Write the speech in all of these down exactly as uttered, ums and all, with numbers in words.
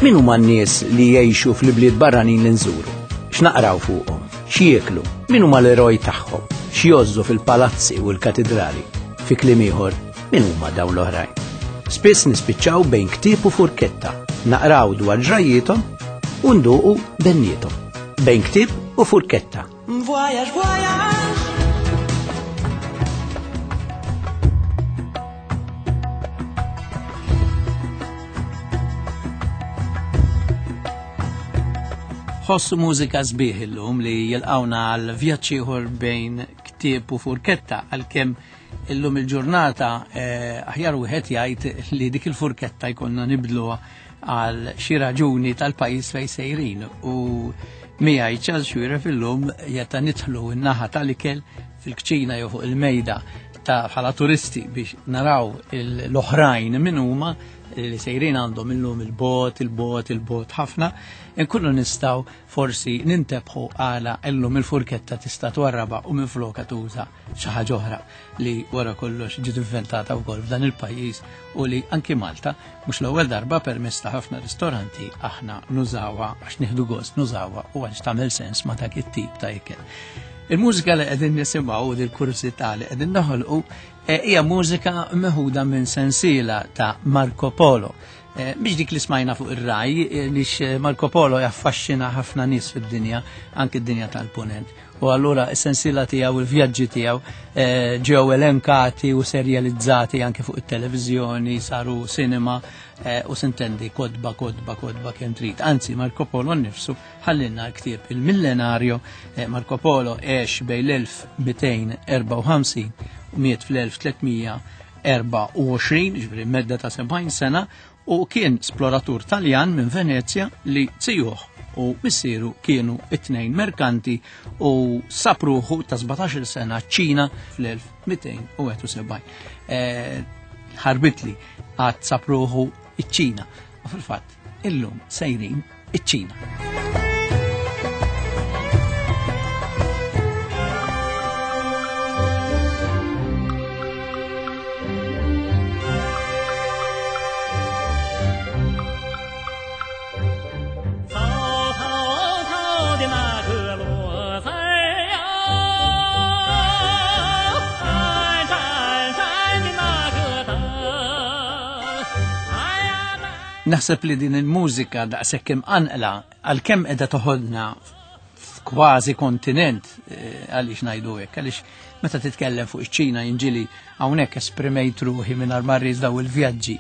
Min huma n-nies li jgħixu fl-ibliet barranin li nżuru? X'naqraw fuqhom? X'jieklu? Min huma l-eroj tagħhom? X'jgħożżu fil-palazzi u l-katidrali? Fi kliem ieħor, min huma dawn l-oħrajn? Spiss nispiċċaw bejn ktieb u furketta, naqraw dwar ġrajjiethom u nduqu benniethom. Bejn ktieb u furketta. Voyage, voyage. Ħossu mużika sbieħ illum li jilqawna għal vjaġġ ieħor bejn ktieb u furketta, għalkemm illum il-ġurnata eh, aħjar wieħed jgħid li dik il-furketta jkollna nibdluha għal xi raġuni tal-pajjiż fejn sejrin, u miegħi Charles Xuereb illum jeta nidħlu n-naħa tal-ikel fil-kċina jew fuq il-mejda ta' bħala turisti biex naraw l-oħrajn min huma li sejrin għandhom illum il-bot, il-bot, il-bot ħafna, nkunu nistgħu forsi nintebħu għala illum il-furketta tista' twarraba u minfloka tuża xi ħaġa oħra li wara kollox ġiet inventata wkoll f'dan il-pajjiż u li anki Malta mhux l-ewwel darba permezz ta' ħafna ristoranti aħna nużawha għax nieħdu gost nużawha u għax tagħmel sens ma' dak it-tip ta' ikel. Il-mużika li qegħdin nisimgħu u dil-kurżità li qegħdin noħolqu hija mużika meħuda minn sensiela ta' Marco Polo. Biex dik li smajna fuq ir-raj, lix Marco Polo jaffaxxina ħafna nies fid-dinja, anki d-dinja tal-punent. U allura s-sensiela tiegħu, il-vjaġġi tiegħu ġew elenkati u serjalizzati anke fuq it-televiżjoni, saru cinema u sintendi kodba, kodba, kodba kemm trid. Anzi, Marco Polo nnifsu ħallinna l-ktieb il-Millenario. Marco Polo għex bejn l-elf mitejn erbgħa u ħamsin u miet fl-elf tlietmija erbgħa u għoxrin, ġifieri medda ta' sebgħin sena, u kien esploratur Taljan minn Venezja li zijuh u missieru kienu it-tnejn merkanti u sapruħu ta' sbatax-il sena ċ-Ċina fl-elf mitejn u wieħed u sebgħin. Ħarbitli għad sapruħu iċ-Ċina. U fil-fatt illum sejrin iċ-Ċina. Naħseb li din il-mużika daqshekk imqanqla għalkemm qiegħda toħodna f'kważi kontinent, għaliex ngħidu hekk, għaliex meta titkellem fuq iċ-Ċina jinġili hawnhekk esprimejt ruħi mingħajr ma rrid daw il-vjaġġi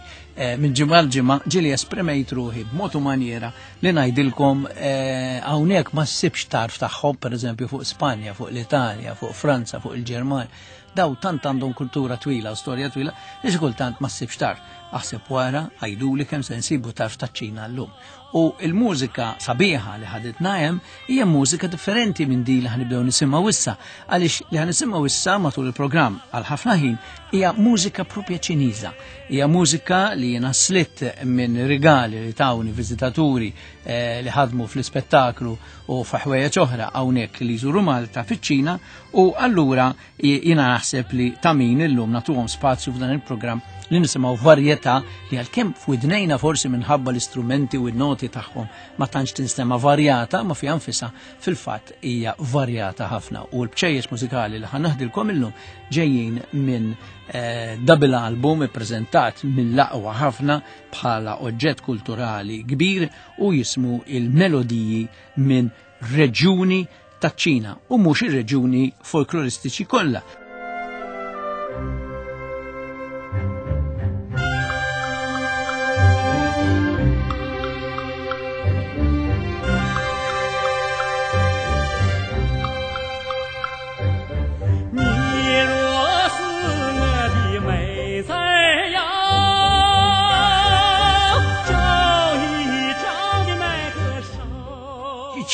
minn ġimgħa l ġimgħa, ġieli esprimejt ruħi b'mod u maniera li ngħidilkom hawnhekk ma ssibx tarf tagħhom, pereżempju fuq Spanja, fuq l-Italja, fuq Franza, fuq il-Ġermanja. Daw tant għandhom kultura twila u storja twila li xi kultant ma ssibx tarf. Aħseb wara għajduli kemm se nsibu tarf taċ-Ċina llum. U l-mużika sabiħa li ħaditna hemm hija mużika differenti minn din li ħanibdew nisimgħu issa, għaliex li ħanisimgħu issa matul il-programm għal ħafna ħin hija mużika propja Ċiniża. Hija mużika li jiena slitt minn rigali li tawni viżitaturi li ħadmu fl-ispettaklu u f'ħwejjeġ oħra hawnhekk li jżuru Malta fiċ-Ċina, u allura jiena naħseb li ta' min illum nagħtuhom spazju f'dan il-programm li nisimgħu varjetà li għalkemm f'widnejna forsi minħabba l-istrumenti u n-noti tagħhom ma tantx tinstema' varjata, ma fiha nfisha fil-fatt hija varjata ħafna. U l-bċejjex mużikali li ħanaħdilkom illum ġejjin minn double album ippreżentat mill-aqwa ħafna bħala oġġett kulturali kbir u jismu il-melodiji minn reġjuni taċ-Ċina u mhux ir-reġjuni folkloristiċi kollha.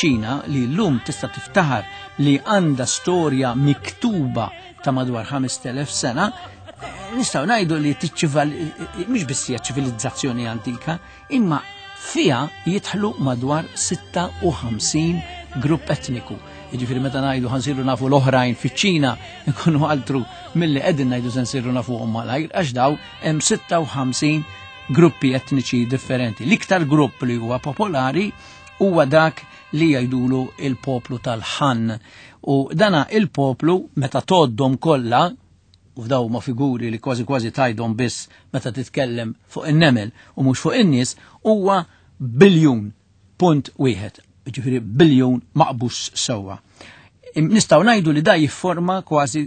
Ċina li llum tista' tiftaħar li għandha storja miktuba ta' madwar ħamest elef sena, nistgħu ngħidu li tiċċival-, mhix biss hija ċivilizzazzjoni antika, imma fiha jidħlu madwar sitta u ħamsin grupp etniku. Jiġifieri meta ngħidu ħansiru nafu l-oħrajn fiċ-Ċina nkunu altru milli qegħdin ngħidu se nsiru nafuhom malajr, għax daw hemm sitta u ħamsin gruppi etniċi differenti. L-iktar grupp li huwa popolari huwa dak li jgħidulu il-poplu tal-Han. U dana il-poplu meta toddhom kollha, u f'daw ma figuri li kważi kważi tajdhom biss meta titkellem fuq in-nemel u mhux fuq in-nies, huwa biljun punt wieħed, jiġifieri biljun maqbus sewwa. Nistgħu ngħidu li da jifforma kważi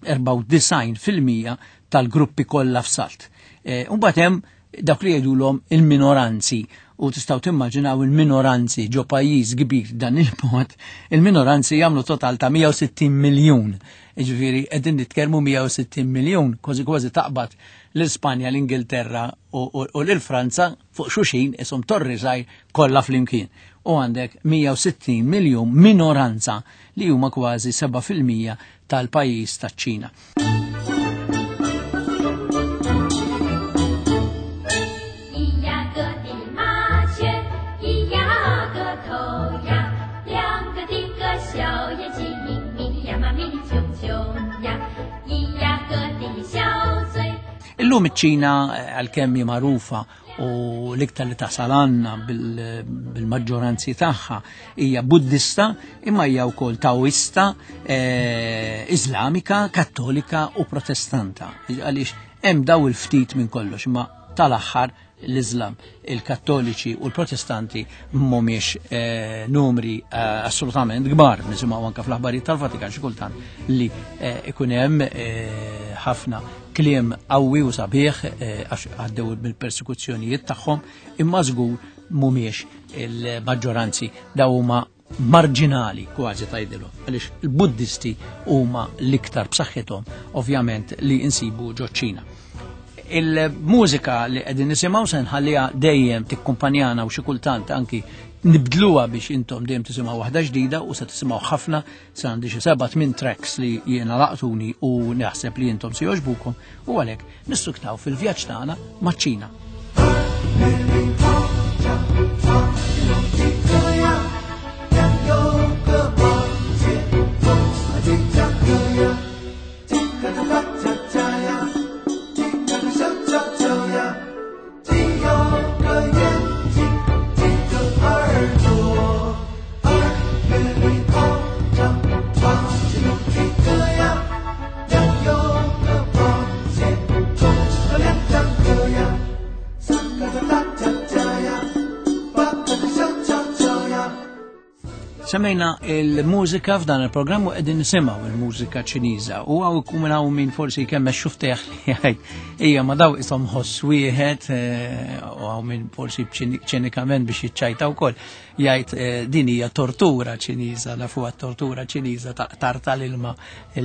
erbgħa u disgħin fil-mija tal-gruppi kollha f'salt. E, u mbagħad hemm dawk li jgħidulhom il-minoranzi, u tistgħu timmaġinaw il-minoranzi ġo pajjiż kbir dan il-mod, il-minoranzi jagħmlu total ta' mija u sittin miljun. Jiġifieri qegħdin nitkellmu mija u sittin miljun, kważi kważi taqbad l-Ispanja, l-Ingilterra u, u, u l-Franza fuq xuxin ishom torri żgħir kollha flimkien. U għandek mija u sittin miljun minoranza li huma kważi seba' fil-mija tal-pajjiż taċ-Ċina. Illum iċ-Ċina, għalkemm hi magħrufa u l-iktar li tasal għandna bil-, bil-maġġoranzi tagħha hija Buddista, imma hija wkoll Taoista, eh, Iżlamika, Kattolika u Protestanta. Għaliex hemm daw il-ftit minn kollox, imma tal-aħħar l-Islam, il-Kattoliċi u l-Protestanti mhumiex, eh, numri, eh, assolutament kbar. Nisimgħu anke fl-aħbarijiet tal-Vatikan xi kultant li, eh, ikun hemm, eh, ħafna kliem qawwi u sabiħ, eh, għax għaddew mill-persekuzzjonijiet tagħhom, imma żgur mhumiex il-maġġoranzi, daw huma marġinali kważi tgħidilhom, għaliex il-Buddisti huma l-iktar b'saħħithom ovvjament li insibu ġoċ-Ċina. Il-mużika li qegħdin nisimgħu se nħalliha dejjem tikkumpanjana u xi kultant anki nibdluha biex intom dejjem tisimgħu waħda ġdida, u se tisimgħu ħafna, se għandi xi seba' tmien tracks li jiena laqtuni u naħseb li intom se jogħġbukom, u għalhekk nissuktaw fil-vjaġġ tagħna maċ-Ċina. Semmejna il-mużika f'dan il-programm u qegħdin nisimgħu il-mużika Ċiniża, u hawn ikun hawn min forsi kemm xuftejh li jgħid ejja ma daw ishom ħoss wieħed, eh, u hawn min forsi ċinikament biex jiċċajta wkoll jgħid, eh, din hija tortura Ċiniża, nafuha tortura Ċiniża ta' qtar tal-ilma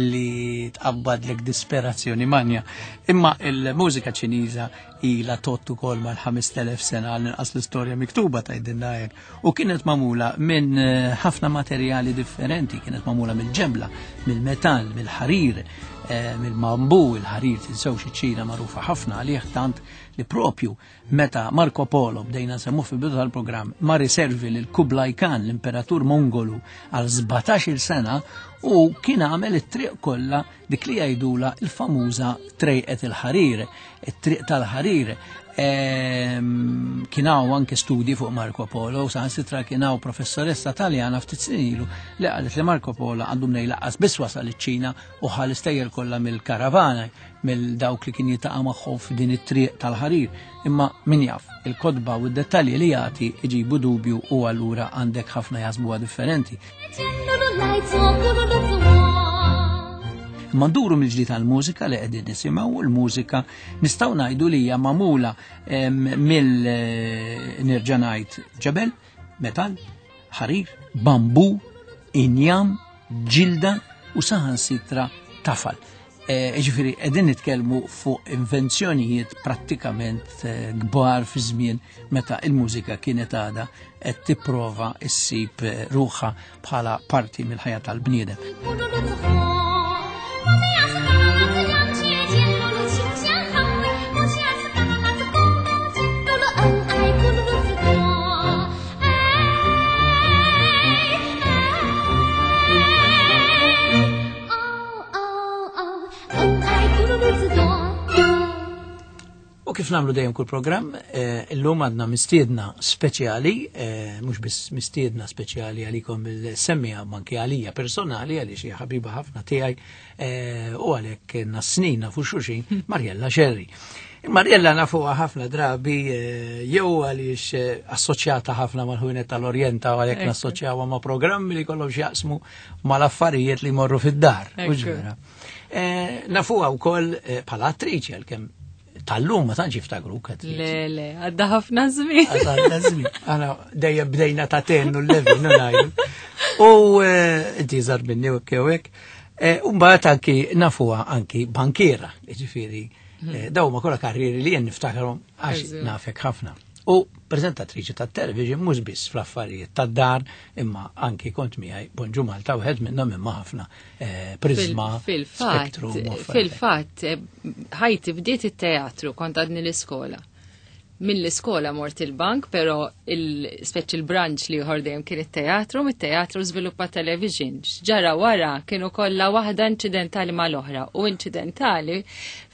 li tqabbadlek disperazzjoni manja. Imma il-mużika Ċiniża ilha tott ukoll mal-ħamest elef sena għal inqas l-istorja miktuba tgħidilna hekk, u kienet magħmula minn, eh, ħafna materjali differenti, kienet magħmula mill-ġebla, mill-metall, mill-ħarir, eh, mill-bambu. Il-ħarir tinsewx iċ-Ċina magħrufa ħafna għalih, tant li propju meta Marco Polo, bdejna nsemmu fil-bidu tal-programm, ma riservi lil Kublai Khan, l-imperatur Mongolu, għal sbatax-il sena, u kien għamel it-triq kollha dik li jgħidula il-famuża trejqet il-ħarir, it-triq tal-ħarir. Ehm, kien hawn anke studji fuq Marco Polo, u saħansitra kien hawn professoressa Taljana ftit snin ilu li qalet li Marco Polo għandu mnejn laqqas biss wasal iċ-Ċina u ħa l-istejjer kollha mill-karavana, mill dawk li kien jiltaqa' magħhom f'din it-triq tal-ħarir. Imma min jaf, il-kotba u d-dettalji li jagħti iġibu dubju, u allura għandek ħafna jaħsbuha differenti. Imma nduru mill-ġdid għall-mużika li qegħdin nisimgħu, u l-mużika nistgħu ngħidu li hija magħmula, em, mill, eh, nerġa' ngħid ġebel, metall, ħarir, bambu, injam, ġilda u saħansitra tafal. Eh, jiġifieri qegħdin nitkellmu fuq invenzjonijiet prattikament, eh, kbar fi żmien meta il-mużika kienet għadha qed tipprova ssib, eh, ruħha bħala parti mill-ħajja tal-bniedem. U kif Kif nagħmlu dejjem kull programm, eh, illum għandna mistiedna speċjali, eh, mhux biss mistiedna speċjali għalikom il-semmija manki għalija personali għaliex hija ħabiba ħafna tiegħi eh, u għalhekk nas-snin nafu xulxin Mariella Scerri. Mariella nafuha ħafna drabi jew għaliex assoċjata ħafna mal-ħwienet tal-Orjenta u għalhekk nassoċjawha ma' programmi li kollhom x'jaqsmu mal-affarijiet li jmorru fid-dar. Nafuha wkoll bħala attriċi għalkemm tal-lum ma tantx jiftakruk. Le, le, għadda ħafna żmien. Għadda żmien. Aħna dejjem bdejna ta' ten u l-levin ngħidu. U inti żar minni u hekk. U mbagħad anki nafuha anki bankiera, jiġifieri daw ma kollha karrieri li jien niftakarhom għax nafek ħafna. U preżentatriċi tat-television mhux biss fl-affarijiet tad-dar, imma anki kont miegħi Bonġu Malta wieħed minnhom imma ħafna Prisma, Spektrum. Fil-fatt, ħajti bdiet it-teatru kont għadni l-iskola. Mill-iskola mort il-bank, però il-speċi il-branch li ieħor dejjem kien it-teatru, mit-teatru żviluppa television. Ġara wara kienu kollha waħda inċidentali mal-oħra u inċidentali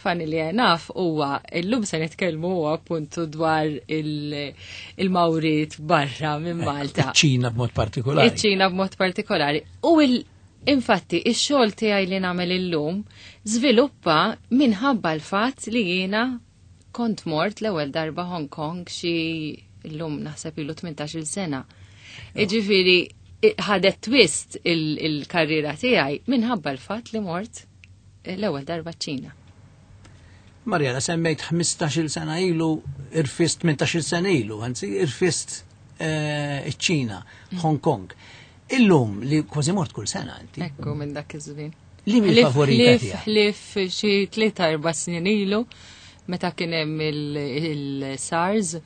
fani li naf huwa illum se nitkellmu huwa appuntu dwar il-mawrit barra minn Malta. Iċ-Ċina b'mod partikolari. Iċ-Ċina b'mod partikolari. U il infatti ix-xogħol tiegħi li nagħmel illum żviluppa minħabba l-fatt li jiena kont mort l-ewwel darba Hong Kong xi llum naħseb ilu tmintax-il sena. Jiġifieri ħadet twist il-karriera tiegħi minħabba l-fatt li mort l-ewwel darba ċ-Ċina. Mariella, semmejt ħmistax-il sena ilu, irfist tmintax-il sena ilu, anzi irfist iċ-Ċina, Hong Kong. Illum li kważi mort kull sena inti. Ekku minn dak iż-żmien. Li mill favorita tiegħek? Ħlief xi tlieta erba' snin ilu meta kien hemm il-SARS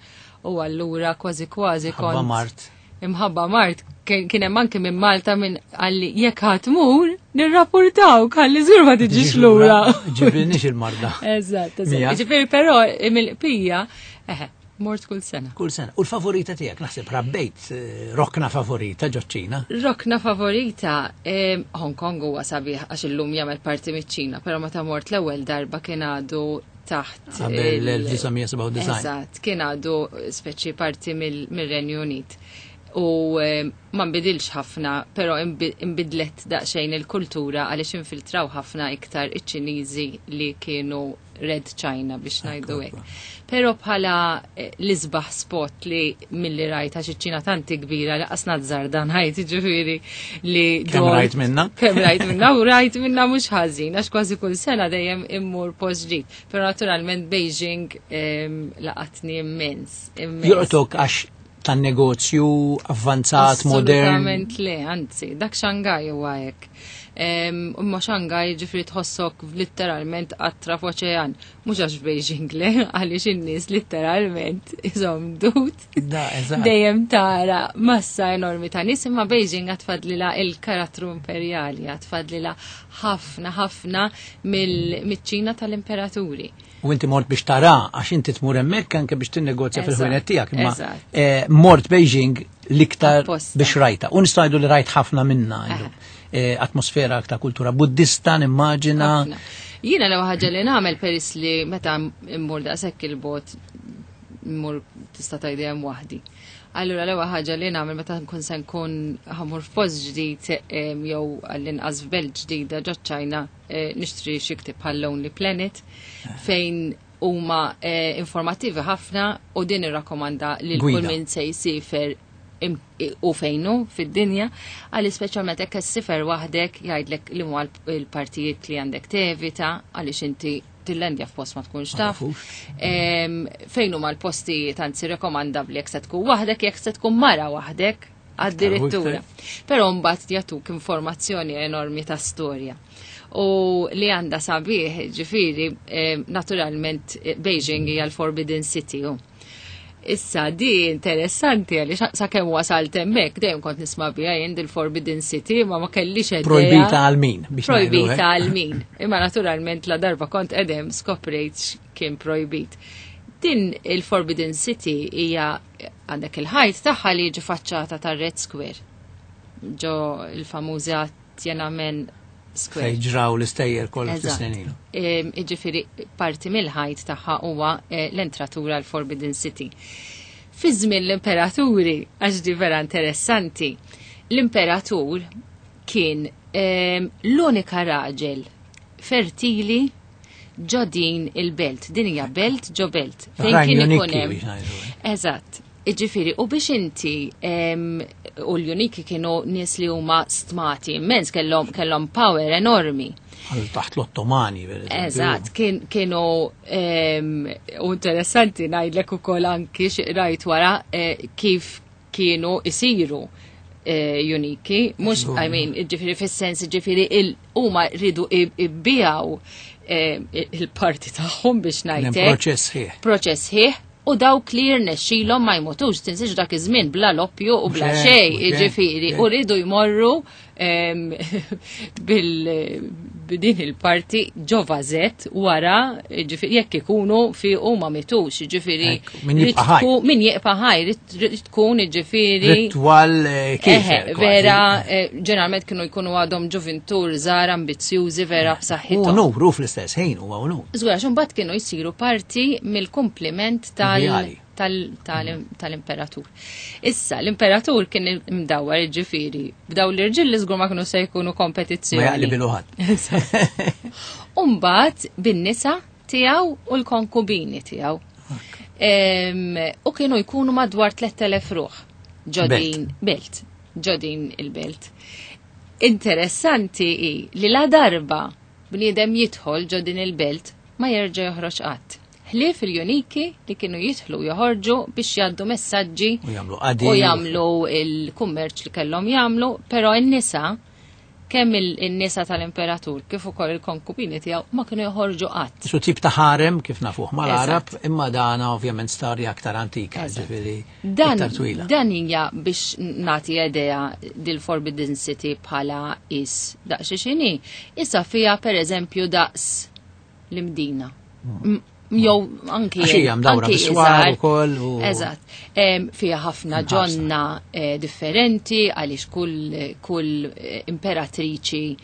u allura kważi kważi kont. Imħabba Mart. Imħabba Mart kien hemm anke minn Malta minn għalli jekk ħadd tmur nirrapportaw ħalli żgur ma tiġix lura. Ġibilniex il-marda. Eżatt, eżatt. Ġifieri però mill-qpija, eħe, mort kull sena. Kull sena. U l-favorita tiegħek naħseb rabbejt rokna favorita ġoċ-Ċina? Rokna favorita Hong Kong huwa sabiħ għax illum jagħmel parti miċ-Ċina, però meta mort l-ewwel darba kien għadu taħt qabel l-elf disa' mija sebgħa u disgħin. Eżatt, kien għadu speċi parti mill-Renju Unit. U ma nbidilx ħafna, però imbidlet daqsxejn il-kultura għaliex infiltraw ħafna iktar iċ-Ċiniżi li kienu Red China biex ngħidu hekk. Però bħala l-isbaħ spot li milli rajt għax iċ-Ċina tanti kbira li qasna żarda ngħid jiġifieri li kemm rajt minna? Kemm rajt minna u rajt minna mhux ħażin għax kważi kull sena dejjem immur post ġdid. Però naturalment Beijing laqatni immens. Joqtok għax tan-negozju avvanzat, modern. Assolutament le, anzi, dak Shanghai huwa hekk. Imma Shanghai ġifri tħossok litteralment qatra f'oċean, mhux għax Beijing le, għaliex in-nies litteralment iżhom dut. Dejjem tara massa enormi ta' nies, imma Beijing għatfadlilha il-karattru imperjali, għatfadlilha ħafna ħafna mill-Ċina tal-imperaturi. U inti mort biex tara, għax inti tmur hemmhekk anke biex tinnegozja fil-ħwienet tiegħek, imma mort Beijing l-iktar biex rajta. U nistgħu ngħidu li rajt ħafna minna illum. Atmosfera ta' kultura buddista, nimmaġina. Jiena l-ewwel ħaġa li nagħmel peress li meta mmur daqshekk il-bot mmur tista' tgħid hemm waħdi. Allura l-ewwel ħaġa li nagħmel meta nkun se nkun ħamur f'post ġdid jew għall-inqas f'belt ġdida ġo ċ-Ċina nixtri xi ktieb bħal Lonely Planet fejn huma informattivi ħafna u din irrakkomanda lil kull min se jsifer u fejnu fid-dinja, għalli speċjalment hekk issifer waħdek jgħidlek li huma l-partijiet li għandek tevita għaliex inti tillendja f'post ma tkunx taf. Fejn huma l-postijiet anzi rekomandabbli jekk se tkun waħdek, jekk se tkun mara waħdek għad-direttura. Però mbagħad jagħtuk informazzjoni enormi ta' storja. U li għandha sabiħ, ġifieri, naturalment Beijing hija l-Forbidden City. Issa di interessanti għaliex sakemm wasalt hemmhekk dejjem kont nisma' biha jien il-Forbidden City ma ma kellix idea. Projbita għal min biex Projbita għal min. Imma naturalment la darba kont qedem skoprejt kien projbit. Din il-Forbidden City hija għandek il-ħajt tagħha li jiġi faċċata tar-Red Square. Ġo il-famuża Tiananmen Square. Fejn ġraw l-istejjer kollha Eżatt. ftit ilu. Em, Jiġifieri parti mill-ħajt tagħha huwa eh, l-entratura l-Forbidden City. Fi żmien l-imperaturi, għax di vera interessanti, l-imperatur kien em, l-unika raġel fertili ġo din il-belt. Din hija belt ġo belt. Fejn Oħrajn kien ikun uniki hemm. biex ngħidu. Eżatt. Iġifieri, u biex inti em, u l-uniki kienu nies li huma stmati immens, kellhom kellhom power enormi. Għal taħt l-Ottomani, per eżempju. Eżatt, kien, kienu em, u interessanti ngħidlek ukoll anki xi rajt wara eh, kif kienu isiru eh, uniki, mhux I mean, ġifieri fis-sens ġifieri il huma rridu ibbijaw eh, il-parti tagħhom biex Kien hemm ngħidlek proċess ħieħ. proċess ħieħ u dawk li jirnexxilhom ma jmutux, tinsiex dak iż-żmien bla loppju u bla Mhux hekk, xejn, mhux hekk, jiġifieri, mhux u rridu jmorru em, bil b'din il-parti ġo vażett wara, jiġifieri jekk ikunu fi u ma mitux, jiġifieri Ekk, min jibqa' ħaj. rid tkun- min jibqa' ħaj, rid- rid tkun jiġifieri Ritwal eh, Eħe, kiefer. kważi. vera, eh, ġeneralment kienu jkunu għadhom ġuvintur, żgħar, ambizzjużi, vera U b'saħħithom. unur, u fl-istess ħin huwa unur. Żgur, għax imbagħad kienu jsiru parti mill-kumpliment tal- Imperiali. tal- tal- tal-imperatur. Issa, l-imperatur kien imdawwar ġifieri, b'daw l-irġiel li żgur ma kienu se jkunu Ma kompetizzjoni. jaqli ħadd. Umbagħad bin-nisa tiegħu u l-konkubini tiegħu. Em, U kienu jkunu madwar tliet elef ruħ ġodin belt, ġodin il-belt. Interessanti hi li la darba bniedem jidħol ġodin il-belt ma jerġa' joħroġ qatt. Ħlief il-juniki li kienu jidħlu joħorġu biex jgħaddu messaġġi U jagħmlu qadi. u jagħmlu il-kummerċ li kellhom jagħmlu, però n-nisa kemm il-nisa tal-imperatur kif ukoll il-konkubini tiegħu ma kienu joħorġu qatt. Su tip ta' ħarem kif nafuh mal-Arab, Eżatt. imma dana ovvjament storja aktar antika, Eżatt. ġifieri Dan, iktar twila. dan hija biex nagħti idea dil Forbidden City bħala is daqs xini. Issa fija per eżempju daqs l-Imdina. M- Jew anki Għax hija mdawra anki bis-swar iżgħar. ukoll u- Eżatt. Em, Fija ħafna Mħarsa. ġonna eh, differenti għaliex kull kull eh, imperatriċi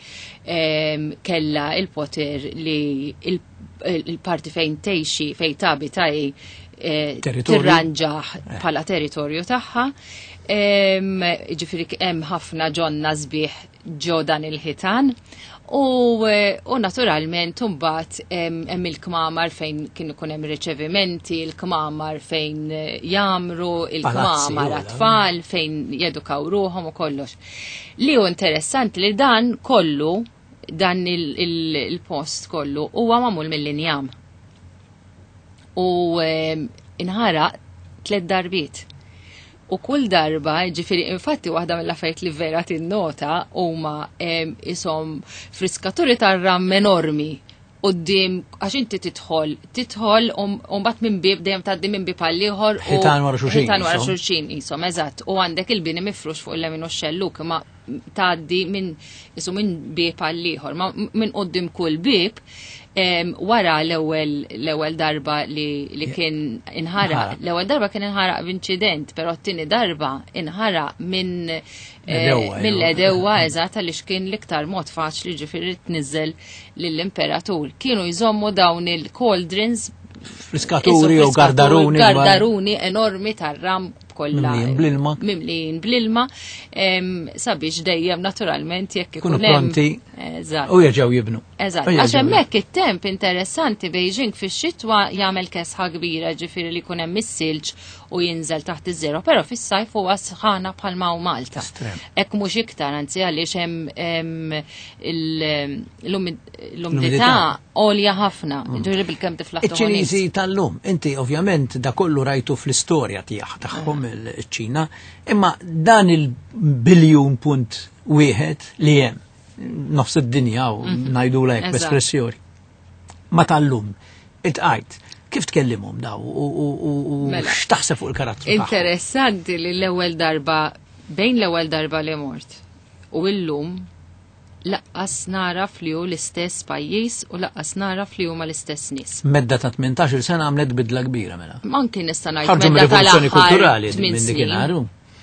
em, kella il-poter li il- il-parti fejn tgħixi fejn tabita hi eh, Territorju. tirranġaħ bħala territorju tagħha. Em, Ġifieri hemm ħafna ġonna sbieħ ġo dan il-ħitan. U, eh, u naturalment imbagħad hemm hemm il-kmamar fejn kien ikun hemm riċevimenti, il-kmamar fejn eh, jamru, Palazzi, il-kmamar u għat-tfal fejn jedukaw ruħhom u kollox. Li hu interessanti li dan kollu, dan il- il- il-post kollu huwa magħmul mill-injam. U em, inħaraq tliet darbiet. U kull darba, ġifieri, infatti waħda mill-affarijiet li vera tinnota huma em, isom friskaturi tar-ram enormi quddiem għax inti tidħol, tidħol u mbagħad minn bib dejjem tgħaddi minn bib għal ieħor u Ħitan wara xulxin, Ħitan wara qishom. xulxin qishom, eżatt. U għandek il-bini mifrux fuq il-lemin u x-xelluk, ma tgħaddi minn isu minn bib għal ieħor, ma minn quddiem kull bib em, wara l-ewwel l-ewwel darba li, li kien inħaraq. Inħaraq. L-ewwel darba kien inħaraq b'inċident, però t-tieni darba inħaraq minn eh, L-għedewwa, jew- mill-għedewwa eżatt għaliex kien l-iktar mod faċli ġifieri tniżel lill-imperatur. Kienu jżommu dawn il-cauldrons Friskaturi Isu u gardaruni. Gardaruni enormi tar-ram kollha. Mimlijin bl-ilma. Mimlijin bl-ilma em, sabiex dejjem naturalment jekk Kunu ikun hemm. pronti. Eżatt. U jerġgħu jibnu. Eżatt, U jerġgħu għax jibnu. hemmhekk it-temp interessanti Beijing fix-xitwa jagħmel kesħa kbira ġifieri li jkun hemm is-silġ u jinżel taħt iż-żero, però fis-sajf huwa sħana bħalma hu Malta. Estrem. Hekk mhux iktar, anzi għaliex hemm hemm il- l-umid- l-umdità L-umidità. għolja ħafna, ġifieri bilkemm tiflaħ Iċ-Ċiniżi tal-lum, inti ovvjament da kollu rajtu fl-istorja tiegħek tagħhom il-Ċina, imma dan il-biljun punt wieħed li hemm nofs id-dinja u ngħidu lek Eżatt. b'espressjoni. Ma tal-lum, itqajt, kif tkellimhom daw u- u u- u Mela. x'taħseb fuq il-karattru tagħhom? Interessanti li l-ewwel darba bejn l-ewwel darba li mort u illum laqqas naraf li hu l-istess pajjiż u laqqas naraf li huma l-istess nies. Medda ta' tmintax-il sena għamlet bidla kbira mela. Anki nista' ngħid Ħarġu medda mir-rivoluzzjoni tal-aħħar kulturali tmien minn snin. dikinhar.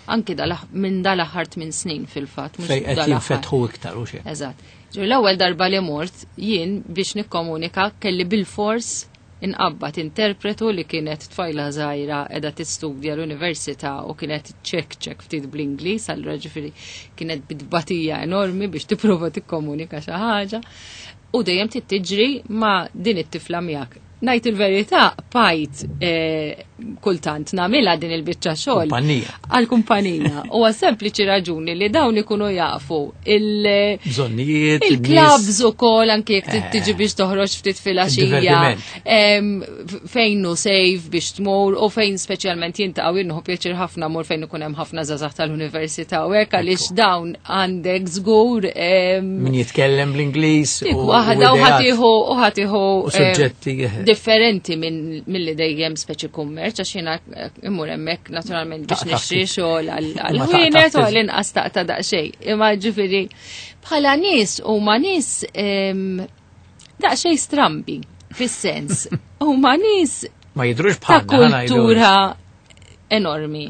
Anki minn dal-aħħar tmien snin fil-fatt. Fejn qed jinfetħu iktar u xejn. Eżatt. L-ewwel darba li mort jien biex nikkomunika kelli bil-fors inqabbad interpretu li kienet tfajla żgħira qiegħda tistudja l-università u kienet ċek ċek ftit bl-Ingliż, allura ġifieri kienet bitbatija enormi biex tipprova tikkomunika xi ħaġa. U dejjem trid tiġri ma' din it-tifla miegħek. Ngħid il-verità, bajt kultant nagħmilha din il-biċċa xogħol. Għall-kumpanija. U għal sempliċi raġuni li dawn ikunu jafu il-bżonnijiet, il-clubs ukoll anke jekk tiġi biex toħroġ ftit filgħaxija, fejn hu safe biex tmur u fejn speċjalment jintaqgħu jien nieħu pjaċir ħafna mur fejn ikun hemm ħafna żgħażagħ tal-università u hekk għaliex dawn għandek żgur min jitkellem bl-Ingliż u waħda u ħadd ieħu u ħadd ieħu suġġetti differenti mill-li dejjem speċi kummerċ, għax jiena immur hemmhekk naturalment biex nixtri xogħol għal-ħwienet u għal-inqas taqta' daqsxejn. Imma ġifieri bħala nies huma nies daqsxejn strambi fis-sens. Huma nies ma jidhrux ta' kultura enormi.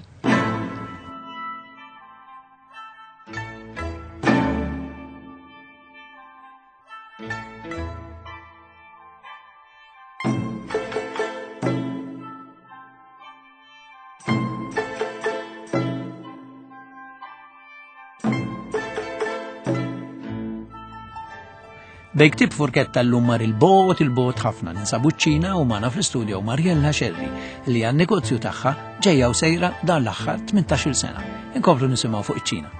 Bejn ktieb furketta llum mar il-bot, il-bot ħafna ninsabu ċ-Ċina u magħna fl-istudio Mariella Scerri li għan-negozju tagħha ġejja u sejra dan l-aħħar tmintax-il sena. Inkomplu nisimgħu fuq iċ-Ċina.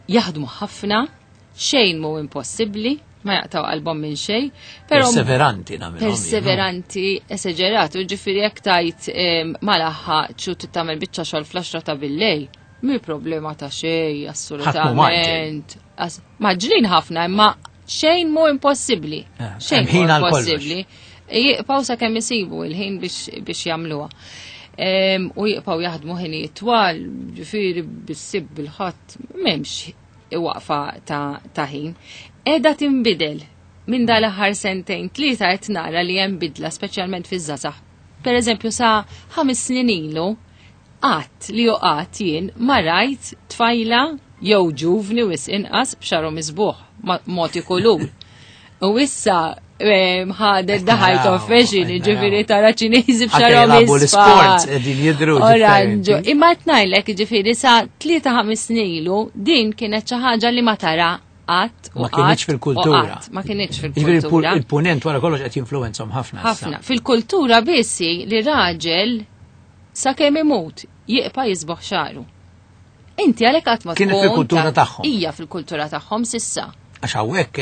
Jaħdmu ħafna, xejn mu impossibbli, ma jaqtaw qalbhom minn xejn, però perseveranti nagħmilhom. Perseveranti, esaġeratu, ġifieri jekk tajt ma laħħaqx u tagħmel biċċa xogħol fl-għaxra ta' billejl, mhi problema ta' xejn, assolutament. Maġlin ħafna, imma xejn mu impossibbli. Xejn mu impossibbli. Jibqgħu sakemm isibu il-ħin biex jagħmluha. U jibqgħu jaħdmu ħinijiet twal, ġifieri bis-sibt bil-ħadd, m'hemmx waqfa ta' ħin. Qiegħda tinbidel minn dal-aħħar sentejn tlieta qed nara li hemm bidla speċjalment fiż-żgħażagħ. Per eżempju sa ħames snin ilu qatt li hu qatt jien ma rajt tfajla jew ġuvni wis inqas b'xagħru miżbuħ moti kulur. U issa ħadet daħal of fashion, ġifieri tara Ċiniżi b'xagħarhom l-isports qegħdin jidhru. Oranġo. Imma qed ngħidlek ġifieri sa tlieta ħames snin ilu din kienet xi ħaġa li ma tara qatt u ma kienx fil-kultura. Ma kienx fil-kultura. Il-punent wara kollox qed jinfluwenzhom ħafna. Ħafna. Fil-kultura biss li raġel sakemm imut jibqa' jisboħ xagħru. Inti għalhekk qatt ma tkun. Kienet fil-kultura tagħhom. Hija fil-kultura tagħhom sissa. Għax hawnhekk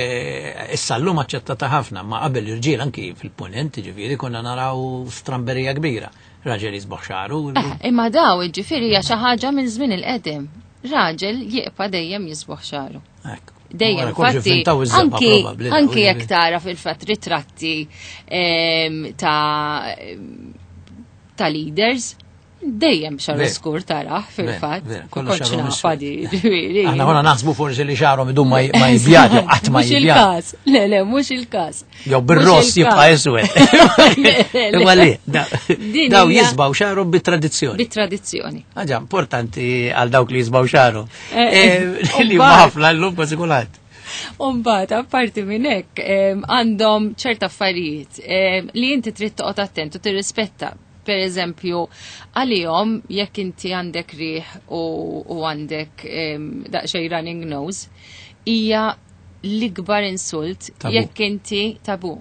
issa llum aċċettata ħafna, ma qabel irġiel anki fil-punent ġifieri konna naraw stramberija kbira. Raġel jisboħ xagħru. Imma daw ġifieri hija xi ħaġa minn żmien il-qedem. Raġel jibqa' dejjem jisboħ xagħru. Dejjem, infatti, anki anki jekk tara fil-fatt ritratti ta' ta' leaders, dejjem xagħru skur taraħ fil-fatt. Kollox nafadi, ġifieri. Aħna konna naħsbu forsi li xagħarhom idum ma jibjad, jew qatt ma jibjad. Mhux il-każ. Le, le, mhux il-każ. Jew bir-ross jibqa' iswed. Imma le, daw jisbaw xagħarhom bit-tradizzjoni. Bit-tradizzjoni. Ħaġa importanti għal dawk li jisbaw xagħarhom. Li huma ħafna llum kważi kulħadd. Umbagħad, apparti minn hekk, għandhom ċerta affarijiet li inti trid toqgħod attent u tirrispetta. Per eżempju, għalihom jekk inti għandek riħ u għandek daqsxejn running nose, hija l-ikbar insult jekk inti tabu.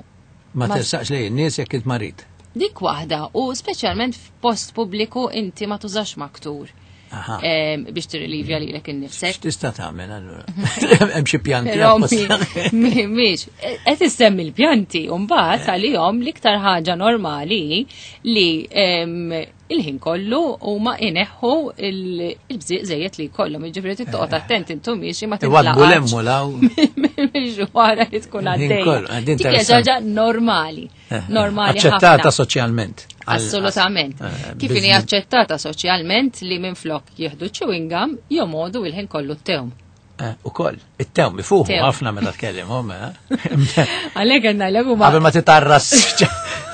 Ma tersaqx lejn in-nies jekk int marid. Dik waħda, u speċjalment f'post pubbliku inti ma tużax maktur. Biex tirrilivja lilek innifsek. X'tista' tagħmel allura? Hemm xi pjanti. Mhix, qed issemmi l-pjanti u mbagħad għalihom l-iktar ħaġa normali li Il-ħin kollu huma ineħħu il-bżieq żejjed li jkollhom, jiġifieri trid toqgħod attent intu miexi ma Iwadbu tintlaqax. lemmu law. Mil-ġwara li tkun Il-ħin għaddejja. kollu, eh, din Dik hija interessanti. ħaġa normali, normali Aċċettata ħafna. soċjalment. Għal- Assolutament. eh, Kif inhi business. aċċettata soċjalment li minflok jieħdu chewing gum jomodu il-ħin kollu t-tewm. Eh, U koll, it-tewm ifuħu Tewm. ħafna meta tkellimhom, eh? Għalhekk għandna l huma Qabel ma titarras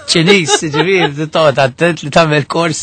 Ċiniż, ġifieri, toqgħod attent li tagħmel kors